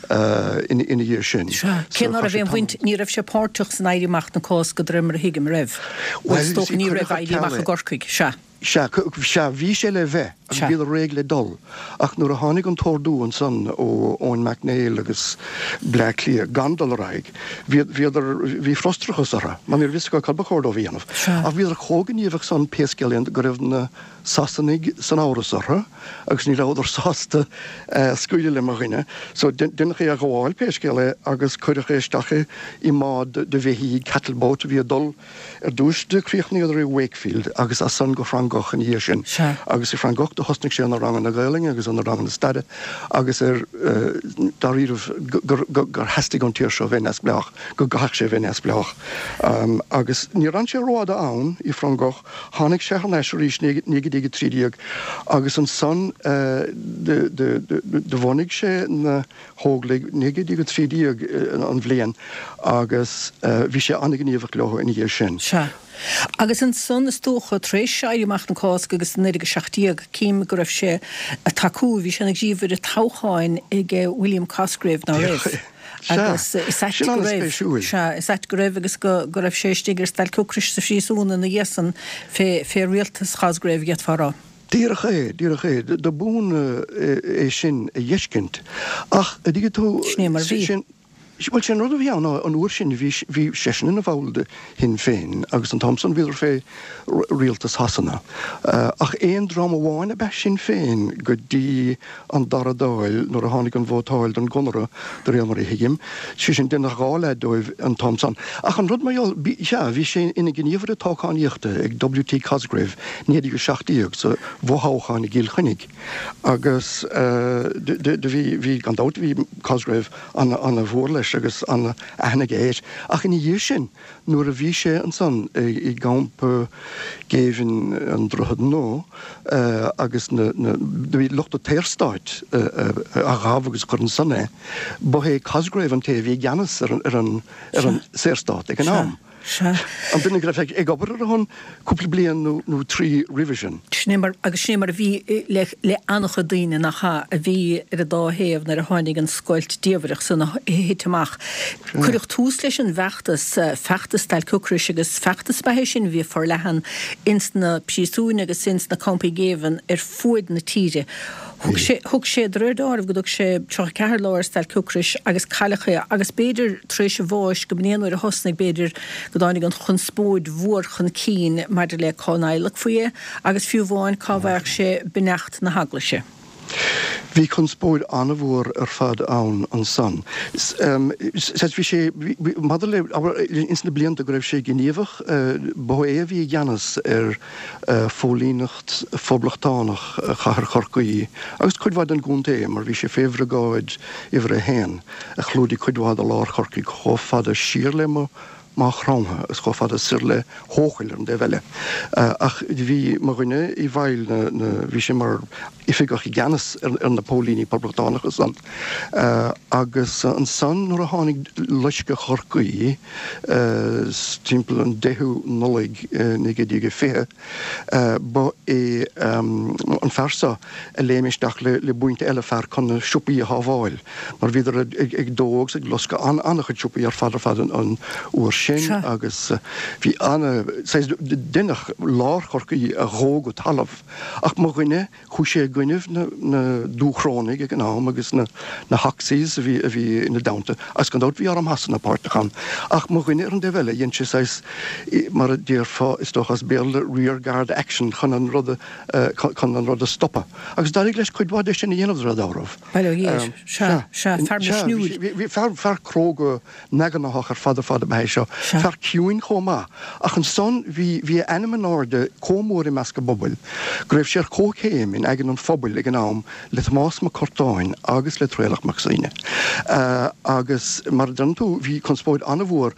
ina dhiaidh sin. Sea. Cé ná raibh aon bhaint, ní raibh sé páirteach san Éirí Amach na Cásca de réir mar a thuigim, an raibh? Bhuel, is dócha ní raibh Éirí Amach i gCorcaigh. Sea. Sea, sea, bhí sé le bheith, agus bhíodar réidh le dul, ach nuair a tháinig an t-ordú ansan ó Eoin Mac Néill agus Bleá Cliath gan dul ar aghaidh, bhíodar, bhí frustrachas orthu, mar ní raibh fhios acu cad ba chóir dóibh a dhéanamh. Ach bhíodar chomh gníomhach san, pé scéal é, go raibh na Sasanaigh san amhras orthu agus ní rabhadar sásta scaoileadh le mo dhuine. So deineadh é a ghabháil, pé scéal é, agus cuireadh é isteach i mbád de bheithígh, cattle boat, a bhí ag dul ar dtúis do chríochnaíodar i Wakefield agus as san go Frongoch ina dhiaidh sin. Agus i Frongoch do thosnaigh sé ar na ranganna Gaelainne agus ar na ranganna staire agus ar dáiríribh gur theastaigh ón tír seo bheith neamhspleách, go gcaithfeadh sé bheith neamhspleách. Agus níor fhan sé rófhada ann i Frongoch, Tháinig sé thar n-ais arís 1913 agus ansan do bhunaigh sé na hÓglaigh, 1913 an bhliain, agus bhí sé an-ghníomhach leo ina dhiaidh sin. Sea. Agus ansan is dócha, tar éis Éirí Amach na Cásca agus 1917, cím go raibh sé ag tacú, bhí sé ina ghníomhaire toghcháin ag William Cosgrave, ná raibh? Agus is ait go raibh, sea, is ait go raibh agus go raibh sé istigh ar stailc ocrais sa phríosún ina dhiaidh san fé rialtas Chosgrave, d'fhéadfá a rá. Díreach é, díreach é. Do b'ionadh é sin a dh'fheiscint. Ach, a dtuigeann tú, Sin é mar a bhí. sin, bhuel, sé an rud a bhí ann ná an uair sin bhí, bhí seisean ina bhall de Shinn Féin agus an t-am san bhíodar fé rialtas Shasana. Ach aon dream amháin ab ea Sinn Féin go dtí an Dara Dáil nuair a tháinig an vótáil don gConradh, de réir mar a thuigim, sé sin, deineadh 2 leath dóibh an t-am san. Ach an rud mar gheall, bhí, sea, bhí sé ina ghníomhaire toghchánaíochta ag W.T. Cosgrave, 1917, sa bhfothoghchán i gCill Chainnigh, agus do bhí, bhí, gan dabht, bhí Cosgrave ana-mhór leis. leis agus an-aithne aige air. Ach ina dhiaidh sin, nuair a bhí sé ansan i gcampa géibhinn an Droichead Nua agus na, na, do bhí lucht an tSaorstáit a ghabh agus a chuir ansan é, ba é Cosgrave an té a bhí i gceannas ar an, ar an, ar an Saorstát ag an am. Sea. An duine go raibh ag obair ar a shon cúpla bliain nó trí roimhe sin. Sin é mar, agus sin é mar a bhí le, le an-chuid daoine, nach ea, a bhí ar an dá thaobh nuair a tháinig an scoilt diamhrach san a thit amach. Cuireadh tús leis an bhfeachtas, feachtas Stailc Ocrais, agus feachtas ab ea é sin a bhí forleathan ins na príosúin agus ins na campaí géibhinn ar fuaid na tíre. Thug sé, thug sé, de réir dealraimh, go dtug sé 34 lá ar stailc ocrais agus cailleadh é agus b'fhéidir tar éis a bháis go mb'in é an uair a thosnaigh, b'fhéidir, go dtáinig an chonspóid mhór chun cinn maidir le cá n-adhlacfaí é agus fiú amháin cá bhfaigheadh sé beannacht na hEaglaise. Bhí conspóid an-mhór ar fad ann ansan. Bhí sé, maidir le, ins na blianta go raibh sé gníomhach, ba é a bhí i gceannas ar phóilíneacht phoblachtánach Chathair Chorcaí agus cuid mhaith den gcontae mar bhí sé fé Bhriogáid Uimhir a hAon a chlúdaigh cuid mhaith de lár Chorcaí chomh fada siar le Maigh Chromtha agus chomh fada soir le hEochaill ar an dtaobh eile. Ach bhí mo dhuine i bhfeighil na, bhí sé mar oifigeach i gceannas ar na póilíní poblachtánacha san. Agus ansan nuair a tháinig loisceadh Chorcaí, Timpeall an 10ú Nollaig 1920, ba é an fear seo a léim isteach le buíonta eile fear chun na siopaí a shábháil, mar bhíodar ag dó agus ag loscadh an-chuid siopaí ar fad ar fad an uair sin agus bhí ana, saghas, deineadh lár Chorcaí a dhó go talamh. Ach mo dhuine, Chuaigh sé i gcoinnibh na Dúchrónaigh ag an am agus na Hoxies a bhí a bhí ina dteannta, agus gan dabht bhí arm Shasana páirteach ann. Ach mo dhuine ar an dtaobh eile, dhein sé saghas, mar a déarfá is dócha as Béarla, rear guard action chun an rud a, chun an rud a stopadh. Agus d'éirigh leis cuid mhaith de sin a dhéanamh de réir dealraimh. Bail ó Dhia air. Sea, sea, fear misniúil. Bhí fear, fear cróga Neamhghnáthach ar fad ar fad ab ea é seo. Fear ciúin chomh maith. Ach ansan bhí, bhí a ainm in airde chomh mór i measc an phobail go raibh sé ar comhchéim in aigne an phobail ag an am le Tomás Mac Curtáin agus le Traolach Mac Suibhne. Agus mar a deireann tú, bhí conspóid an-mhór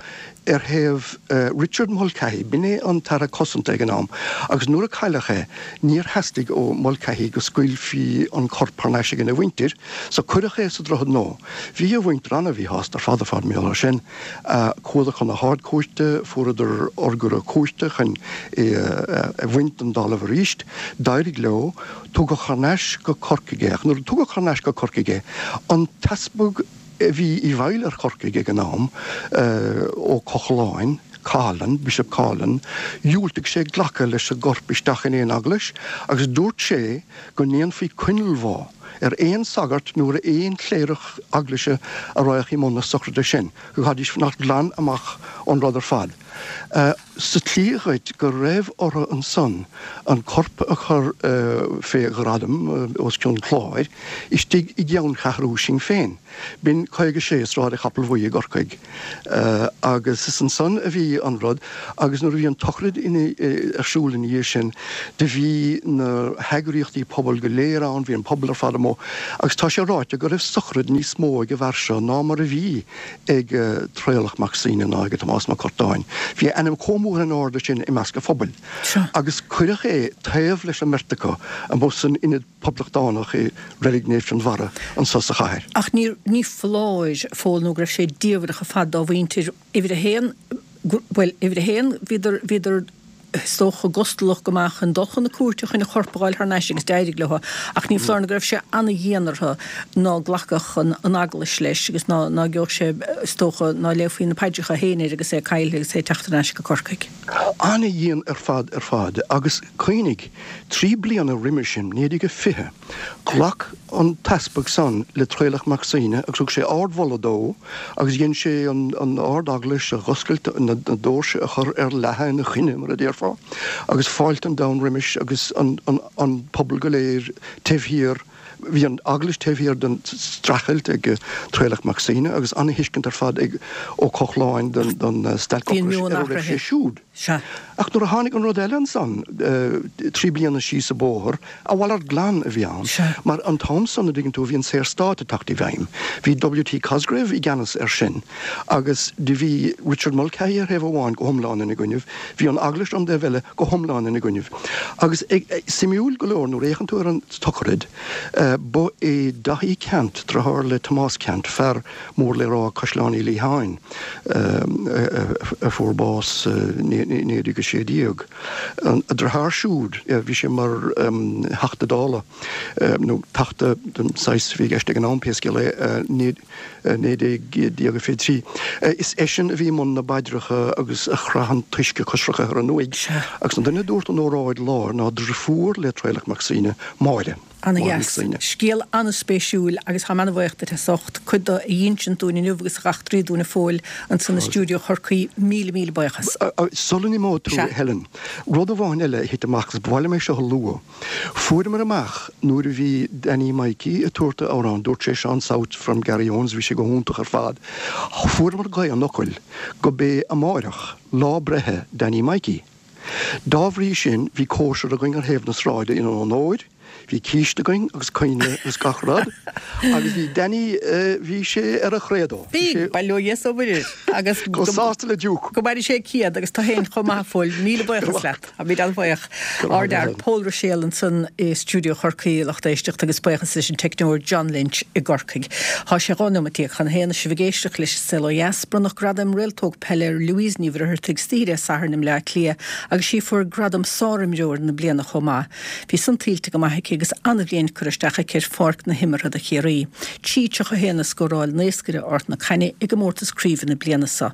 ar thaobh Richard Mulcahy, b'in é an tAire Cosanta ag an am, agus nuair a cailleadh é níor theastaigh ó Mulcahy go scaoilfí an corp thar n-ais ag a mhuintir, so cuireadh é sa Droichead Nua. Bhí a mhuintir an-mhíshásta ar fad ar fad mar gheall air sin. Chuadar chun na hArd-Chúirte, fuaireadar urghaire cúirte chun é a bhaint den dtalamh arís. D'éirigh leo. Tugadh thar n-ais go Corcaigh é. Ach nuair a tugadh thar n-ais go Corcaigh é, an t-easpag a bhí i bhfeighil ar Chorcaigh ag an am, Ó Cochláin, Coughlan, Bishop Coughlan, dhiúltaigh sé glacadh leis an gcorp isteach in aon eaglais agus dúirt sé go ndéanfaí coinnealbhá ar aon sagart nó ar aon chléireach eaglaise a raghadh i mbun na sochraide sin, go gcaithfidís fanacht glan amach ón rud ar fad. Sa tslí dhuit go raibh orthu ansan an corp a chur fé ghradam os cionn cláir istigh i gceanncheathrú Shinn Féin. B'in 56 Sráid an Chapaill Bhuí i gCorcaigh. Agus is ansan a bhí an rud agus nuair a bhí an tsochraid ar siúl ina dhiaidh sin do bhí na heagraíochtaí pobail go léir ann, bhí an pobal ar fad amuigh agus tá sé ráite go raibh sochraid níos mó ag an bhfear seo ná mar a bhí ag Traolach Mac Suibhne ná ag Tomás Mac Curtáin. Bhí a ainm chomh mór in airde sin i measc an phobail agus cuireadh é taobh leis an mbeirt acu amuigh san ionad Poblachtánach i Reilig Naomh Fionnbharra anso sa chathair. Ach ní, ní foláir, a Phóil, nó go raibh sé diamhrach ar fad dá mhuintir. Uimhir a haon, bhuel, uimhir a haon, bhíodar, bhíodar, is dócha, gustalach go maith chun dul chun na cúirte chun a chorp a fháil thar n-ais agus d'éirigh leo. Ach ní foláir nó go raibh sé ana-dhian orthu ná glacfadh an, an Eaglais leis agus ná, ná gheobhadh sé, is dócha, ná léifí na paidreacha féin air agus é caillthe agus é ag teacht thar n-ais go Corcaigh. Ana-dhian ar fad ar fad. Agus cuimhnigh, 3 bliana roimis sin, 1920, ghlac an t-easpag san le Traolach Mac Suibhne agus thug sé ard-mholadh dó agus dhein sé an Ard-Eaglais a dh'oscailt, na doirse a chur ar leathadh ina choinne, mar a déarfá, agus fáilte an domhain roimis agus an pobal go léir taobh thiar. Bhí an Eaglais taobh thiar den streachailt ag Traolach Mac Suibhne agus an-thuiscint ar fad ag Ó Cochláin don stailc Bhí an ocrais meon ar a raibh sé athraithe. siúd. Sea. Ach nuair a tháinig an rud eile ansan, 3 bliana síos an bóthar, a mhalairt glan a bhí ann, Sea. mar an t-am san, a dtuigeann tú, bhí an Saorstát ag teacht i bhfeidhm. Bhí W.T. Cosgrave i gceannas air sin agus do bhí Richard Mulcahy ar thaobh amháin go hiomlán ina gcoinnibh, bhí an Eaglais ar an dtaobh eile go hiomlán ina gcoinnibh. Agus suimiúil go leor, nuair a fhéachann tú ar an tsochraid, ba é Daithí Ceannt, deartháir le Tomás Ceannt, fear mór le rá Caisleán Uí Liatháin, a fuair bás i 1916. A dheartháir siúd, bhí sé mar Theachta Dála, nó Teachta den saghas a bhí i gceist ag an am, pé scéal é, 1923. Is eisean a bhí i mbun na bpaidreacha agus a chraith an t-uisce coisricthe ar an uaigh. Agus an duine a dúirt an óráid láir ná driofúr le Traolach Mac Suibhne, Máire. Ana-dheas. Scéal an-spéisiúil agus táim ana-bhaoch duit as ucht cuid de a dh'insint dúinn inniu agus a dh'eachtraí dúinn a Phóil ansan i stiúideo Chorcaí. Míle míle buíochas. Sula n-imeoidh tú, Sea. Helen, rud amháin eile a thit amach agus ba mhaith liom é seo a lua. Fuaireamar amach nuair a bhí Danny Mikey ag tabhairt a amhrán, dúirt sé Seán South from Garryowens, bhí sé go hiontach ar fad, fuaireamar gaoth an fhocail go b'é amáireach lá breithe Danny Mikey. Dá bhrí sin bhí cóisir againn ar thaobh na sráide ina onóir, bhí císte againn agus coinnle agus gach rud agus bhí Danny, bhí sé ar a chredo, bhí Bhí, sé. bail ó Dhia is ó Mhuire air agus chomh sásta le Duke. Go maire sé 100 agus tú féin chomh maith a Phóil, míle buíochas leat. Táimid an-bhuíoch. Ár bhfear Pól Ruiséal ansan i stiúideo Chorcaí, a lucht éisteachta, agus buíochas leis an teicneoir John Lynch i gCorcaigh. Tá sé 12 nóimeat chun a haon, sibh ag éisteacht leis An Saol Ó Dheas. Bronnadh gradam Réaltóg Peile ar Louise Ní Mhuircheartaigh istoíche Dé Sathairn i mBleá Cliath agus sí a fuair gradam Sárimreoir na Bliana chomh maith. Bhí san tuillte go maith aici agus an-bhliain curtha isteach aici ar pháirc na himeartha do Chiarraí. 3:31 a scóráil naoscaire Ard na Caithne i gcomórtas craoibhe na bliana so.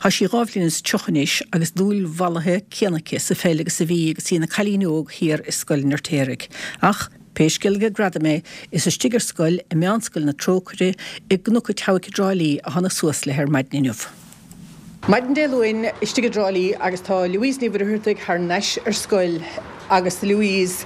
Tá sí 2 bhliain is 30 anois agus dúil mhallaithe céanna aici sa pheil agus a bhí agus í ina cailín óg thiar i Scoil an Fheirtéaraigh. Ach, pé scéal aige gradam é, is istigh ar scoil i Meánscoil na Trócaire i gCnoc a' tSeabhaic i dTrá Lí a thána suas léi ar maidin inniu. Maidin Dé Luain istigh i dTrá Lí agus tá Louise Ní Mhuircheartaigh thar n-ais ar scoil agus Louise,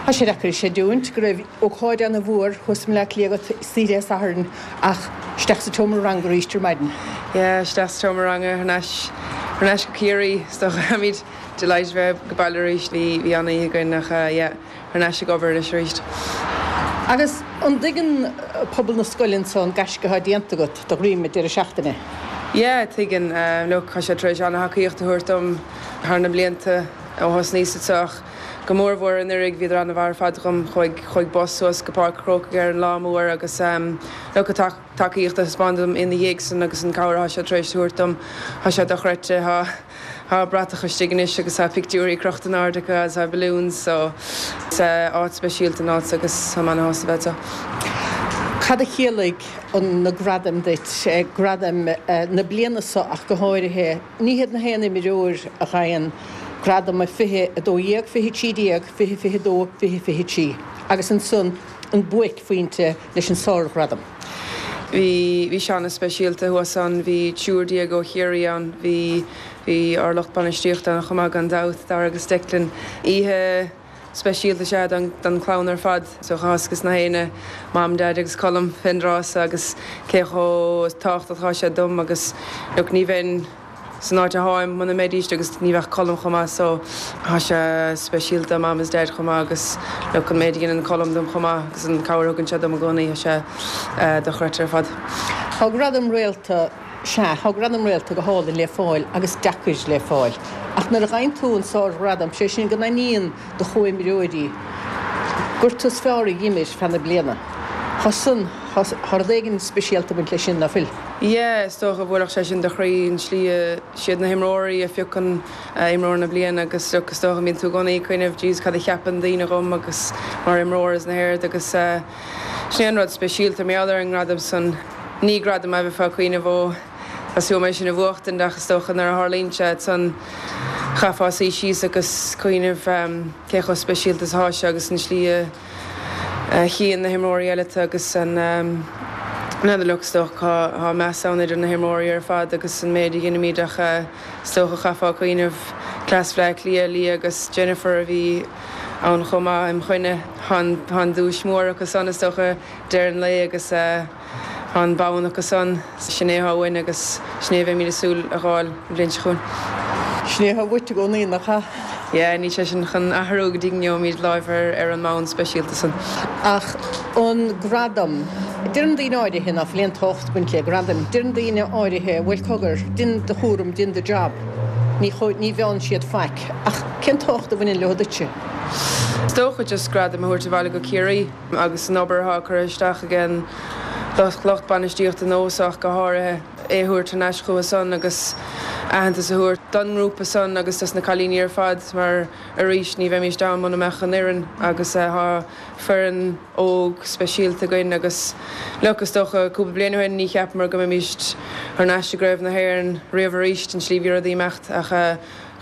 tá sé deacair a chreidiúint go raibh ócáid ana mhór thuas i mBleá Cliath agat istoíche Dé Sathairn ach isteach sa tseomra ranga arís ar maidin. Yeah, isteach sa tseomra ranga thar n-ais, thar n-ais go Ciarraí. Is dócha táimid delighted bheith ag baile arís. Bhí, bhí an-oíche againn ach yeah, thar n-ais ag obair anois arís. Agus an dtuigeann pobal na scoile anso an gaisce atá déanta agat de dhroim an deireadh seachtaine? Yeah, tuigeann. Look, tá siad tar éis an-thacaíocht a thabhairt dom thar na blianta ó thosnaíos anseo ach go mór mhór anuraidh bhíodar an-mhaith ar fad dhom. Chuaigh, chuaigh bus suas go Páirc an Chrócaigh ar an lá mór agus look, an tacaíocht a thaispeánadh dom ina dhiaidh san agus an cabhair atá siad tar éis a thabhairt dom, tá sé dochreidte. Tá, tá bratach istigh anois agus tá pictiúirí crochta in airde acu agus tá balloons so is áit speisialta an áit agus tá mé ana-shásta bheith anseo. Cad a chiallaigh an, na gradaim duit, gradaim na bliana so ach go háirithe? Ní hiad na haon imreoir a gheibheann gradam 20, 12, 20, 13, 20, 22, 20, 23 agus ansan an buaicphointe leis an sárghradam. Bhí, bhí sé ana-speisialta thuas ann, bhí triúr déag ó Chiarraí ann, bhí, bhí ár lucht bainistíochta ann chomh maith gan dabht, Darragh agus Declan. Oíche speisialta is ea don, don chlann ar fad. So tá 'fhios ages na héinne, Mam, Dad agus Colm fén dtráth so agus cé chomh tábhachtach atá siad dom agus look ní bheinn san áit atáim muna mbeidíst agus ní bheadh Colm chomh maith so tá sé speisialta do Mam is Dad chomh maith agus look an méid a dhéanann Colm dom chomh maith agus an cabhair a thugann sé dom i gcónaí tá sé dochreidte ar fad. Tá gradam réalta, sea, tá gradam réalta go hálainn le fáil agus deacair le fáil. Ach nuair a gheibheann tú an sárghradam, sé sin go n-aithníonn do chomhimreoirí gur tú is fearr a dh'imir feadh na bliana. Tá san, tá rud éigin speisialta ag baint leis sin, ná fuil? Yeah, is dócha, bhuailfeadh sé sin do chroí, an tslí a, siad na himreoirí a phiocann imreoir na bliana agus look, is dócha, bíonn tú i gcónaí ag cuimhneamh, jeez, cad a cheapann daoine dhom agus mar imreoir is na héard agus sin é an rud speisialta mar gheall ar an ngradam san. Ní gradam é a bheifeá ag cuimhneamh ó, tá súil agam é sin a bhuachtaint ach is dócha nuair a tharlaíonn sé ansan chaithfeá suí síos agus cuimhneamh cé chomh speisialta is atá sé agus an tslí a chíonn na himreoirí eile tú agus an n'fheadar look is dócha tá meas ann idir na himreoirí ar fad agus an méid a dheinimid ach is dócha chaithfeá cuimhneamh cleas Bhleá Cliath, Leah agus Jennifer a bhí. ann chomh maith im choinne. Tá an duais mór acu san is dócha deireadh an lae agus tá an bonn acu san. Sin é atá uainn agus sin é a bheimid ag súil a dh'fháil an bhliain seo chugainn. Sin é atá uait i gcónaí, nach ea? Yeah, níl sé sin chun athrú go dtí go ngeobhaimid láimh ar an mbonn speisialta san. Ach an gradam, deireann daoine áirithe ná fuil aon tábhacht ag baint le gradaim, deireann daoine áirithe, bhuel cogar, dein do chúram, dein do job, ní ní mheánn siad faic. Ach cén tábhacht a bhaineann leo duitse? Is dócha just gradam a thabhairt abhaile go Ciarraí agus an obair atá curtha isteach ag an lucht bainistíochta nós ach go háirithe, é a thabhairt thar n-ais chucu san agus aitheantas a thabhairt don ngrúpa san agus dos na cailíní ar fad mar arís ní bheimíst ann muna mbeadh an fhoireann agus tá foireann óg speisialta againn agus look is dócha cúpla bliain ó shin ní cheapamar go mbeimíst thar n-ais i gCraobh na hÉireann riamh arís an tslí bhí rudaí ag imeacht ach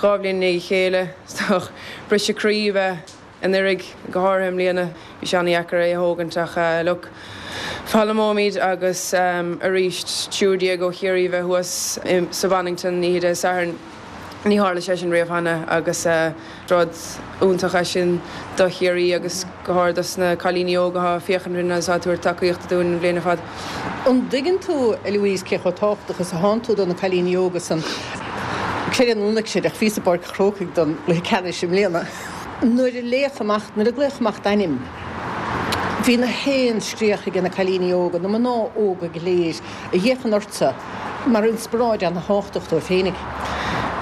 2 bhliain i ndiaidh a chéile is dócha briseadh croí ab ea anuraidh, go háirithe i mbliana, bhí sé an-dheacair é a thógaint ach look, foghlaimeoimid agus arís 13 ó Chiarraí a bheith thuas sa Bonnington oíche Dé Sathairn, ní tharla sé sin riamh cheana agus rud iontach é sin do Chiarraí agus go háirithe dos na cailíní óga atá ag féachaint orainn agus atá ag tabhairt tacaíochta dúinn an bhliain ar fad. An dtuigeann tú, a Louise, cé chomh tábhachtach is atánn tú do na cailíní óga san? Creid é nó ná creid, ach bhíos i bPáirc an Chrócaigh don gcluiche ceannais i mbliana. Nuair a léadh amach, nuair a glaodh amach d'ainm, bhí na haon scréach ag na cailíní óga, na mná óga go léir a fhéachann ortsa mar inspioráid ana-thábhachtach dóibh féinig.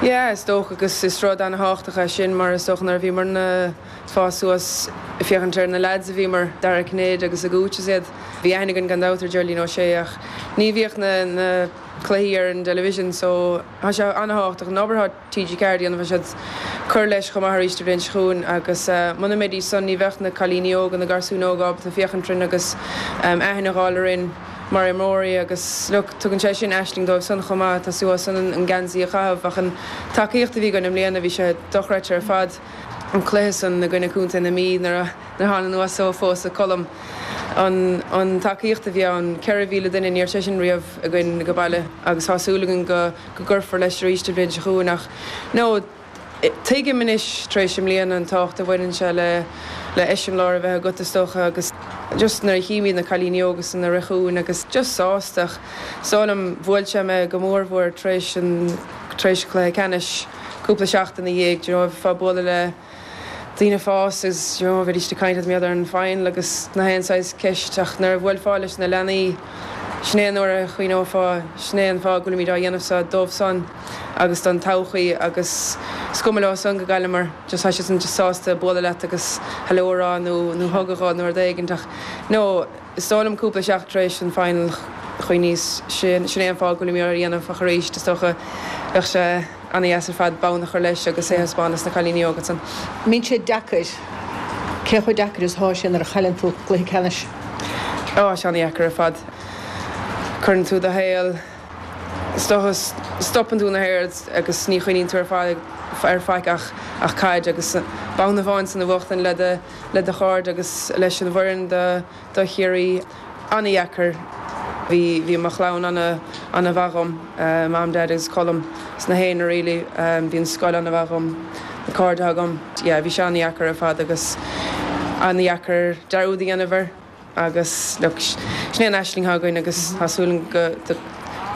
Yeah, is dócha agus is rud ana-thábhachtach é sin mar is dócha nuair a bhíomarna ag fás suas ag féachaint ar na lads a bhíomar, Dara Cinnéide agus a Gooch is iad, bhí aithne againn gan dabht ar Geraldine O'Shea ach ní bhíodh na na cluichí ar an dtelevision so tá sé ana-thábhachtach an obair atá TG4 a dhéanamh, tá siad ag cur leis chomh maith arís an bhliain seo chugainn agus muna mbeidís san ní bheadh na cailíní óga, na garsúin óga ábalta féachaint orainn agus aithne a dh'fháil orainn mar imreoirí agus look tugann sé sin aisling dóibh san chomh maith, tosú uathu san an geansaí a chaitheamh ach an tacaíocht a bhí againn i mbliana bhí sé dochreidte ar fad. An cluiche san i gcoinne Contae na Mí nuair a thána anuas ó phósadh Colm an an tacaíocht a bhí ann, 4,000 duine, ní raibh sé sin riamh againn go baile agus tá súil againn go go gcuirfear leis arís an bhliain seo chugainn ach no tuigim anois tar éis i mbliana an tábhacht a bhaineann sé le le eiseamláir a bheith agat is dócha agus just nuair a chímid na cailíní óga san ag rith chugainn agus just sásta ach is dóigh liom bhuail sé mé go mór mhór tar éis an tar éis an chluiche ceannais cúpla seachtain ina dhiaidh do you know bheifeá ag bualadh le daoine fásta agus you know bheidís ag caint leat mar gheall ar an final agus na haon saghas ceist ach nuair a bhuailfeá leis na leanaí sin é an uair a chuimhneofá sin é an fáth go bhfuilimid á dhéanamh seo dóibh san agus don todhchaí agus is cuma leo san go gcailleamar just tá siad san just sásta bualadh leat agus hello a rá nó nó hug a ghabháil nó rud éigint ach no is dóigh liom cúpla seachtain tar éis an final chuimhníos sin sin é an fáth go bhfuilimid á dhéanamh ach arís is dócha bheadh sé Ana-dheas ar fad bonn a chur leis agus é a thaispeáint dos na cailíní óga san. Mbíonn sé deacair. Cé chomh deacair is atá sé nuair a chailleann tú cluiche ceannais? Ó, tá sé ana-dheacair ar fad. Cuireann tú do shaol, is dócha, stopann tú na haird agus ní chuimhníonn tú ar fad ar faic ach ach caid agus bonn amháin san a bhuachtain le do le do chairde agus leis an bhfoireann do do Chiarraí. Ana-dheacair. Bhí, bhí mo chlann ana, ana-mhaith dhom, Mam, Dad agus Colm sna haon really. Bhí an scoil ana-mhaith dhom, na cairde atá agam. Yeah, bhí sé ana-dheacair ar fad agus ana-dheacair dearúd a dhéanamh air agus look, sin é an aisling atá againn agus tá súil agam go,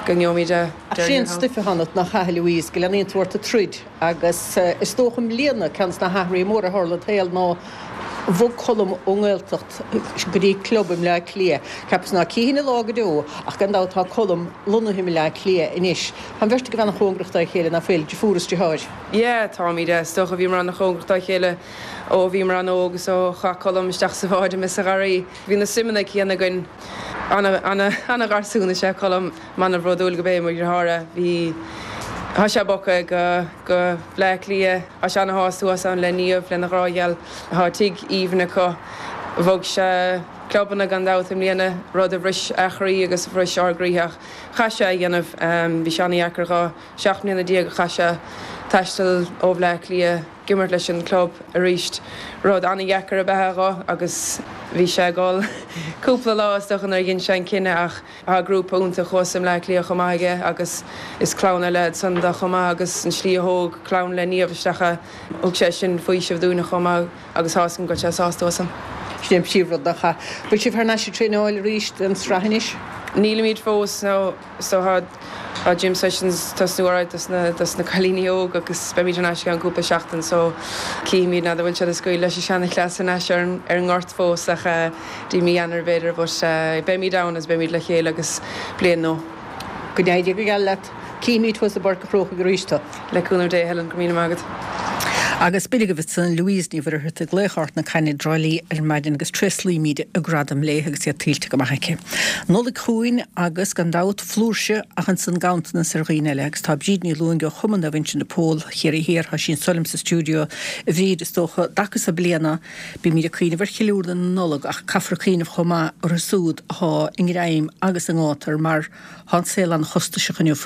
go ngeobhaimid é. Ach sin é an stuif atá ionat, nach ea, a Louise, go leanaíonn tú ort ag troid agus is dócha i mbliana ceann de na hathruithe móra a tharla i do shaol ná Bhog Colm ón nGaeltacht go dtí club i mBleá Cliath. Cheapas ná cífinn a lá go deo ach gan dabht tá Colm lonnaithe i mBleá Cliath anois. Tá an bheirt agaibh an-chóngarach dá chéile, ná fuil, deirfiúr is deartháir? Yeah, táimid. Is dócha bhíomar an-chóngarach dá chéile ó bhíomar an-óg is ó chaith Colm isteach sa bhád mé sa gharraí. Bhí na suimeanna céanna againn. Ana-gharsún is ea Colm. Ana-bhródúil gurb é mo dheartháir é. Bhí, tá sé bogtha go, go Bleá Cliath. Tá sé ana-shásta thuas ann le Niamh, lena ghrá gheal. Tá tigh aoibhinn acu. Bhog sé clubanna gan dabht i mbliana, rud a bhris a chroí agus a bhris ár gcroíthe ach chaith sé a dhéanamh. Bhí sé ana-dheacair dhó. 17 mbliana a chaith sé. taisteal ó Bhleá Cliath ag imirt leis an club arís. Rud an-dheacair ab ea é dho agus bhí sé ag gol cúpla lá is dócha nuair a dhein sé an cinneadh ach tá grúpa iontach thuas i mBleá Cliath chomh maith aige agus is clann eile iad san do chomh maith agus an slí a thóg clann le Niamh isteach é, thug sé sin faoiseamh dúinne chomh maith agus tá 'fhios agam go bhfuil sé sásta thuas ann. Sin é an príomhrud nach ea? Bhfuil sibh thar n-ais ag traenáil arís don sraith anois? Nílimid fós, no. So tá tá gym sessions tosnú alright dos na dos na cailíní óg agus beimid thar n-ais i gceann cúpla seachtain so cífimid n'fheadar bhfuil siad ag scaoileadh leis an seana-chleas thar n-ais ar an ar an ngort fós ach eh dtí mí Eanáir b'fhéidir but eh beimid ann agus beimid le chéile agus bliain nua. Go n-éirí go geal leat. Cífimid thuas i bPáirc an Chrócaigh arís tú. Le cúnamh Dé, Helen, go raibh míle maith agat. Agus b'in agaibh ansan Louise Ní Mhuircheartaigh, laoch Ard na Caithne i dTrá Lí ar maidin agus tréaslaímid a gradam léi agus é tuillte go maith aici. Nollaig chugainn agus, gan dabht, flúirse ach ansan ganntanas ar dhaoine eile agus tá Bríd Ní Luaing ó Chumann Naomh Uinseann de Pól Chiarraí Thiar, tá sí anso liom sa stiúideo. A Bhríd, is dócha, dtaca so bliana bímid ag cuimhneamh ar cheiliúradh na Nollag ach caithfear cuimhneamh chomh maith orthu súd athá i ngreim agus i ngátar mar Tá an saol an-chostasach inniu.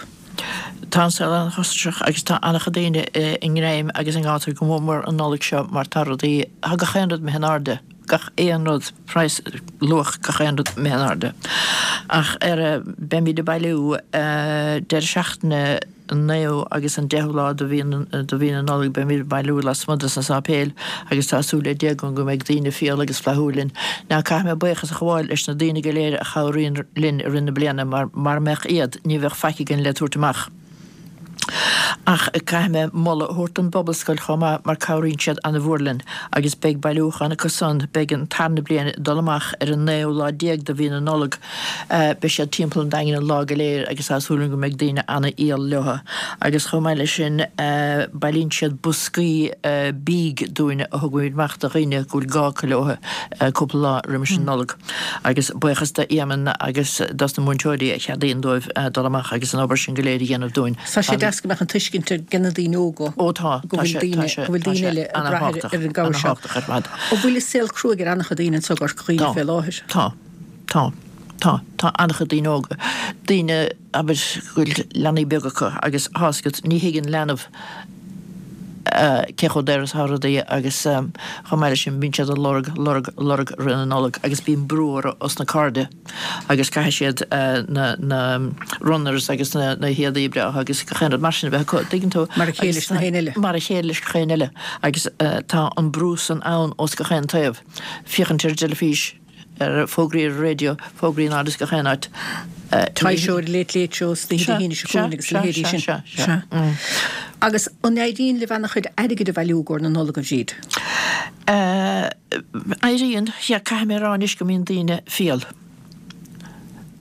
Tá an saol an-chostasach agus tá an-chuid daoine i ngreim agus i ngátar go mór mór an Nollaig seo mar tá rudaí, tá gach aon rud imithe in airde, gach aon rud, praghas, luach gach aon rud imithe in airde. Ach ar, beimid ag bailiú deireadh seachtaine, an naoú agus an deichiú lá de mhí de mhí na Nollag beimid ag bailiú lasmuigh dos na sáipéil agus tá súil le Dia agam go mbeidh daoine fial agus flaithiúil linn. Now caithfidh mé buíochas a ghabháil leis na daoine go léir a chabhraíonn linn i rith na bliana mar mara mbeadh iad ní bheadh faic againn le tabhairt amach. Ach caithfidh mé moladh a thabhairt don bPobalscoil chomh maith mar cabhraíonn siad ana-mhór linn agus beidh bailiúchán acu san, beidh an tarna bliain ag dul amach ar an naoú lá déag de mhí na Nollag. Beidh siad timpeall an Daingin an lá go léir agus tá súil agam go mbeidh daoine ana-fhial leo. Agus chomh maith leis sin bailíonn siad boscaí bídh dúinn a thugaimid amach do dhaoine go bhfuil gá acu leo cúpla lá roimis an Nollaig. Agus buíochas do Éamonn agus dos na múinteoirí a cheadaíonn dóibh dul amach agus an obair sin go léir a dhéanamh dúinn. Tá sé deas go mbeadh an tuiscint ag na daoine óga Ó tá, go bhfuil daoine, go bhfuil daoine eile ag brath ar an gcabhair seo. An-thábhachtach ar fad. An bhfuil an saol cruaidh ar an-chuid daoine anseo i gCorca Dhuibhne fé láthair? Tá. Tá. Tá. Tá an-chuid daoine óga, daoine, abair, go bhfuil leanaí beaga acu agus tá's agat, ní thuigeann leanbh cé chomh daor is atá rudaí agus chomh maith leis sin bíonn siad ag lorg, lorg, lorg roimh na Nollag agus bíonn brú orthu os na cairde agus caithfidh siad na, na runners agus na, na héadaí breátha agus gach aon rud mar sin a bheith acu, tuigeann tú? Mar a chéile leis na héinne eile. Mar a chéile leis gach aon eile agus tá an brú san ann ós gach aon taobh. Féachaint ar an dteilifís. ar fógraí ar an raidió, fógraí in áit is gach aon áit. Toy Show ar Late Late Show is Dé hAoine seo chugainn agus a leithéidí sin. Sea, sea, sea. Agus an éiríonn libh ana-chuid airgid a bhailiú i gcomhair na Nollag, a Bhríd? Éiríonn, sea. Caithfidh mé a rá anois go mbíonn daoine fial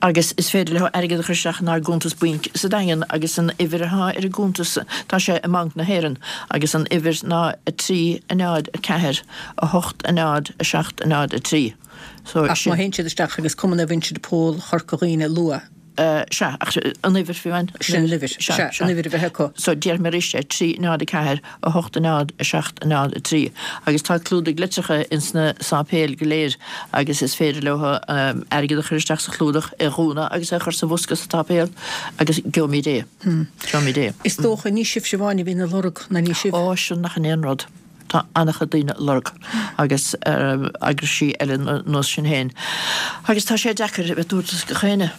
agus is féidir leo airgead a chur isteach inár gcuntas bainc sa Daingean agus an uimhir atá ar an gcuntas, tá sé i mBanc na hÉireann agus an uimhir ná 3 0 4 8 0 7 0 3. So, Ach má théann siad isteach agus Cumann Naomh Uinseann de Pól Chorca Dhuibhne a lua. Sea, ach an uimhir fiú amháin. Sin an uimhir. Sea, an uimhir a bheith acu. So, déarfaidh mé arís é, 3 0 4 8 0 7 0 3. Agus tá clúdaigh litreacha ins na sáipéil go léir agus is féidir leo airgead a chur isteach sa chlúdach, é a dhúnadh agus é a chur sa bhosca sa tsáipéal agus gheobhaimid é. Gheobhaimid é. Is dócha, ní sibhse amháin a bhíonn ag lorg, ná ní sibh. Ó, sin nach in aon rud. Tá an-chuid daoine ag lorg agus eagraisí eile nós sin féin. Agus tá sé deacair a bheith ag tabhairt dos gach éinne.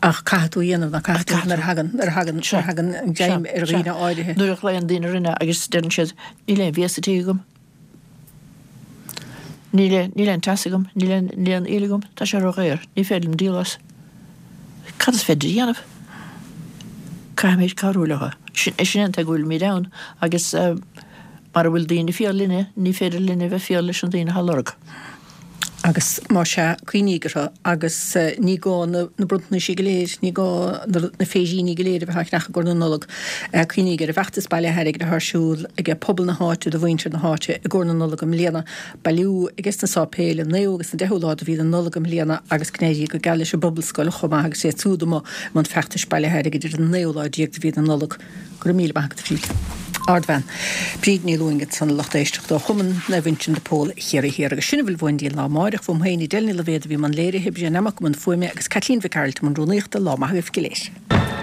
Ach caithfidh tú a dhéanamh, ná caithfidh tú nuair a thagann, nuair a thagann, nuair a thagann an greim ar dhaoine áirithe. Nuair a ghlaonn daoine orainne agus deireann siad, níl aon bhia sa tigh agam, níl aon, níl aon teas agam, níl aon, níl aon fhuíoll agam, tá sé ródhaor, ní féidir liom díol as. Cad is féidir a dhéanamh? Caithfimid cabhrú leo. Sin é an tuige go bhfuilimid ann agus mara bhfuil daoine fial linne, ní féidir linne a bheith fial leis na daoine atá ag lorg. Agus más ea, cuimhníg orthu agus ní gá na bronntanaisí go léir, ní gá na féiríní go léir a bheith á cheannach i gcomhair na Nollag. Cuimhníg ar an bhfeachtas bailithe airgid atá ar siúl ag pobal na háite do mhuintir na háite i gcomhair na Nollag i mbliana. Bailiú ages na sáipéil an 9ú agus an 10ú lá de mhí na Nollag i mbliana agus go n-éirí go geal leis an bPobalscoil chomh maith agus iad siúd amuigh i mbun feachtais bailithe airgid ar an 19ú lá de mhí na Nollag. Go raibh míle maith agat a Bhríd. Ardbhean. Bríd Ní Lúing ansan a lucht éisteachta ó Chumann Naomh Uinseann de Pól Chiarraí Thiar agus sin a bhfuil uainn go dtí an lá amáireach. Uaim féin Edel Ní Loibhéad a bhí i mbun léirithe, Brian Emmocc i mbun fuaime agus Caitlín Mhic Gearailt i mbun rúnaíochta. Lá maith agaibh go léir.